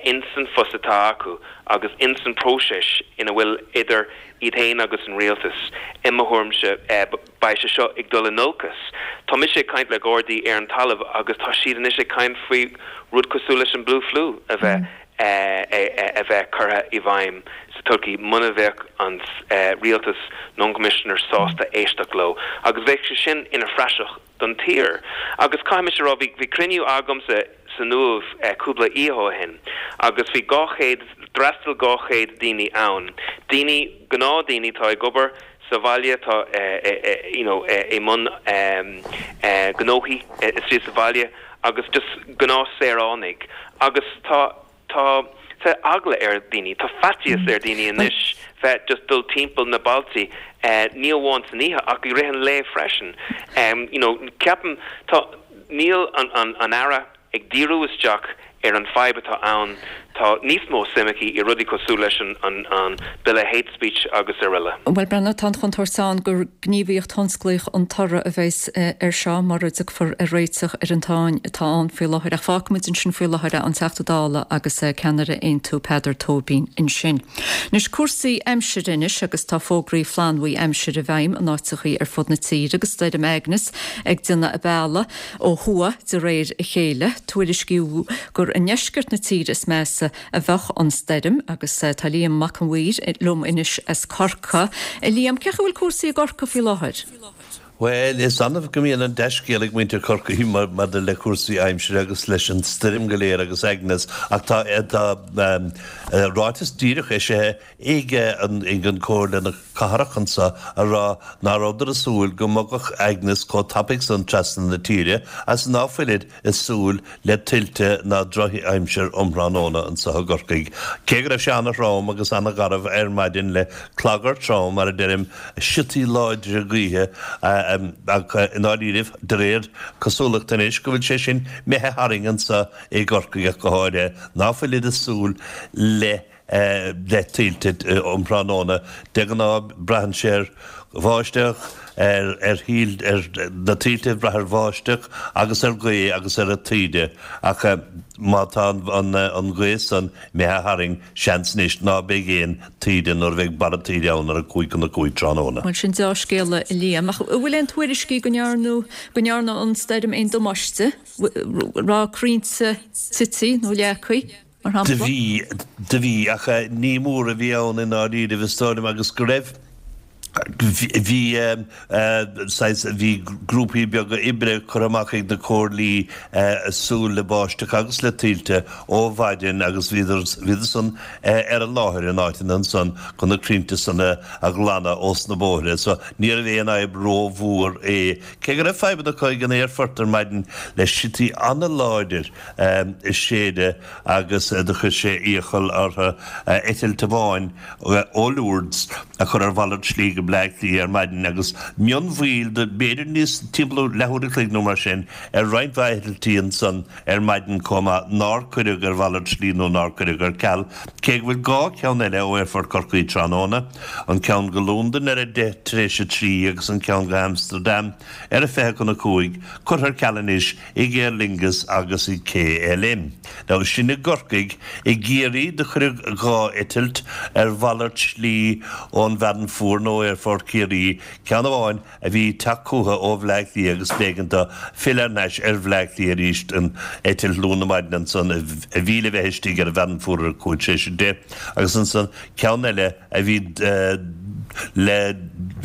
ins an phost atá acu agus ins an próiseas ina bhfuil idir iad féin agus an rialtas, i mo thuairimse, beidh sé seo ag dul in olcas. Tá mise ag caint le Gardaí ar an talamh agus tá siad anois ag caint faoi rud cosúil leis an Blue Flu a bheith a bheith curtha i bhfeidhm sa todhchaí muna bheadh an rialtas nó an Coimisinéir sásta éisteacht leo agus bheadh sé sin ina phraiseach don tír. Agus caithfidh mise a rá, bhí cruinniú agamsa san Uaimh cúpla oíche ó shin agus bhí 200, d'fhreastail 200 daoine ann, daoine, gnáthdaoine atá ag obair sa bhaile, atá you know i mbun gnóthaí istigh sa bhaile agus just gnáthsaoránaigh agus tá tá tá eagla ar dhaoine, tá faitíos ar dhaoine anois bheith just dul timpeall na bailte ní amháin san oíche ach i rith an lae freisin. You know ceapaim tá níl an an an Aire ag díriú isteach ar an fadhb atá ann, tá níos mó suim aici i rudaí cosúil leis an an Bille Hate Speech agus araile. Bhuel, Breandán, tá an chontúirt ann gur gníomhaíocht thionsclaíoch an toradh a bheas air seo mura dtiocfar ar réiteach ar an tsáinn atá ann faoi láthair. Ach fágfaimid ansin faoi láthair é, an Teachta Dála agus ceannaire Aontú Peadar Tóibín ansin. Anois cúrsaí aimsire anois agus tá fógraí flannbhuí aimsire i bhfeidhm in áiteachaí ar fud na tíre agus stoirm Agnes ag déanamh a bealaigh ó thuaidh de réir a chéile. Tuairiscíodh gur i ndeisceart na tíre is measa a bheadh an stoirm agus tá Liam Mac an Mhaoir liom anois as Corcaigh. A Liam, cén chaoi a bhfuil cúrsaí i gCorcaigh faoi láthair? Bhuel, is annamh go mbíonn an dea-scéal ag muintir Chorcaí maidir le cúrsaí aimsire agus leis an stoirm go léir agus Agnes ach tá ráiteas díreach eisithe ag an Comhairle Cathrach anso a rá ná rabhadar a súil go mbogfadh Agnes chomh tapaidh san trasna na tíre agus ná fuilid a súil le tuilte ná drochaimsir um thráthnóna anso i gCorcaigh. Cé go raibh sé ana-throm agus ana-gharbh ar maidin le clagar trom, mar a deirim, siotaí láidre gaoithe ach i ndáiríribh, de réir cosúlachta anois, go bhfuil sé sin imithe tharainn anso i gCorcaigh ach go háirithe, ná fuilid a súil le le tuilte um thráthnóna. De ghnáth braitheann sé ar bháisteach, ar ar thuill, ar na tuilte ag brath ar bháisteach agus ar ghaoth agus ar an taoide ach má tá an an ghaoth san imithe tharainn seans anois ná beidh aon taoide nuair a bheidh barra taoide ann ar a 4:55 tráthnóna. Bhuel sin deá-scéala a Liam. Ach an bhfuil aon tuairiscí go ndearnadh go ndearna an stoirm aon damáiste? Raibh crainnte tite nó leagtha? mar shampla. Do bhí, do bhí, ach ní mór a bhí ann i ndáiríribh is dóigh liom agus go raibh, bhí saghas, bhí grúpaí beaga oibre curtha amach ag na comhairlí ag súil le báisteach agus le tuilte ó mhaidin agus bhíodar, bhíodar san ar an láthair in áiteanna ansan chun na crainnte san a ghlanadh ós na bóithre so níorbh aon fhadhb ró-mhór é. Cé go raibh fadhbanna acu ag an aerfort ar maidin le siotaí an-láidir ag séideadh agus do chuir sé iachall orthu eitilt amháin ó Lourdes a chur ar mhalairt slí go Bleá Cliath ar maidin agus mionmhoill de b'fhéidir níos timpeall leathuair a chloig nó mar sin ar roinnt mhaith eitiltí ansan ar maidin chomh maith nár cuireadh ar mhalairt slí nó nár cuireadh ar ceal cé go bhfuil 2 cheann eile ó Aerfort Chorcaí tráthnóna, an ceann go Londain ar a 3:10 tar éis agus an ceann go hAmsterdam ar a 4:40, curtha ar ceal anois ag Aer Lingus agus ag KLM. Now sin i gCorcaigh. I gCiarraí do cuireadh 2 eitilt ar mhalairt slí ón bhFearann Fuar nó Aerfort Chiarraí, ceann amháin a bhí ag teacht chucu ó Bhleá Cliath agus b'éigean dó filleadh thar n-ais ar Bhleá Cliath arís an eitilt luath na maidine ansan a bhí le bheith istigh ar an bhFearann Fuar ar a 10:05 agus ansan ceann eile a bhí le.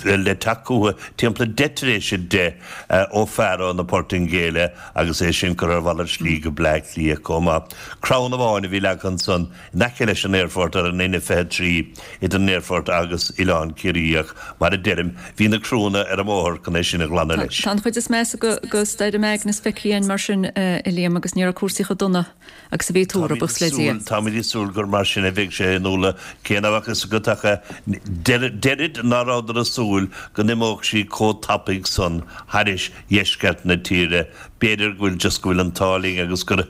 le teacht chucu timpeall 10 tar éis 10 ó Faro na Portaingéile agus é sin curtha ar mhalairt slí go Bleá Cliath chomh maith. Crann amháin a bhí leagtha ansan in aice leis an aerfort ar an N23 idir an aerfort agus Oileán Ciarraí ach mar a deirim, bhí na criúnna ar an mbóthar chun é sin a ghlanadh leis. Tá an chuid is measa de stoirm Agnes feicthe againn mar sin, a Liam, agus ní raibh cúrsaí chomh dona agus a bhí tuartha, buíochas le Dia. Táimid ag súil gur mar sin a bheidh sé a Fhionnuala, cé nach bhfuil a fhios agat ach deirid ná rabhadar ag súil go n-imeodh sí chomh tapaidh san thairis dheisceart na tíre. B'fhéidir go bhfuil just go bhfuil an t-ádh linn agus gur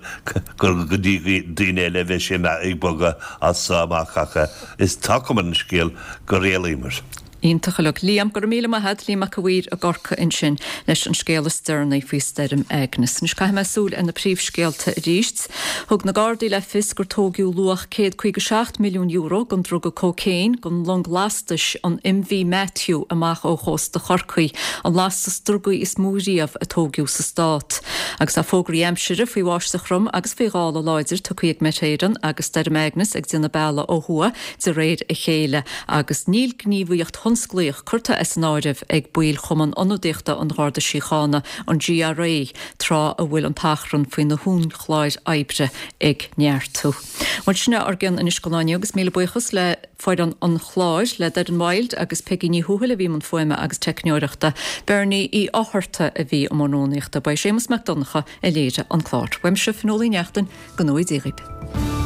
gur go dtí daoine eile a bheidh sé ag bogadh as so amach ach is tá cuma ar an scéal gur éalaíomar. Iontach uilig. Liam, go raibh míle maith a't. Liam Mac a' Mhaoir i gCorcaigh ansin leis an scéal is deireanaí faoi stoirm Agnes. Anois caithfidh mé súil ar na príomhscéalta arís. Thug na Gardaí le fios gur tóigeadh luach €157 milliún den druga cócaon den long lastais an MV Matthew amach ó chósta Chorcaí, an lastas drugaí is mó riamh a tóigeadh sa stát. Agus tá fógraí aimsire faoi bháisteach throm agus faoi ghála láidir tugtha ag Met Éireann agus Stoirm Agnes ag déanamh bealaigh ó thuaidh de réir a chéile agus níl gníomhaíocht thionsclaíoch curtha as an áireamh ag baill Chumann Ionadaíochta an Gharda Síochána, an GRA, tráth a bhfuil an t-achrann faoi na huainchlár oibre ag neartú. Bhuel, sin é ár gcion anois don lá inniu agus míle buíochas le foireann an chláir, le Doireann Wilde agus Peigí Ní Thuathail a bhí i mbun fuaime agus teicneoireachta, Bernie Uí Fhátharta a bhí i mbun rúnaíochta, ba é Séamus Mac Donncha a léirigh an clár. Uaimse, Fionnuala Uí Neachtain, go ngnóthaí Dia dhaoibh.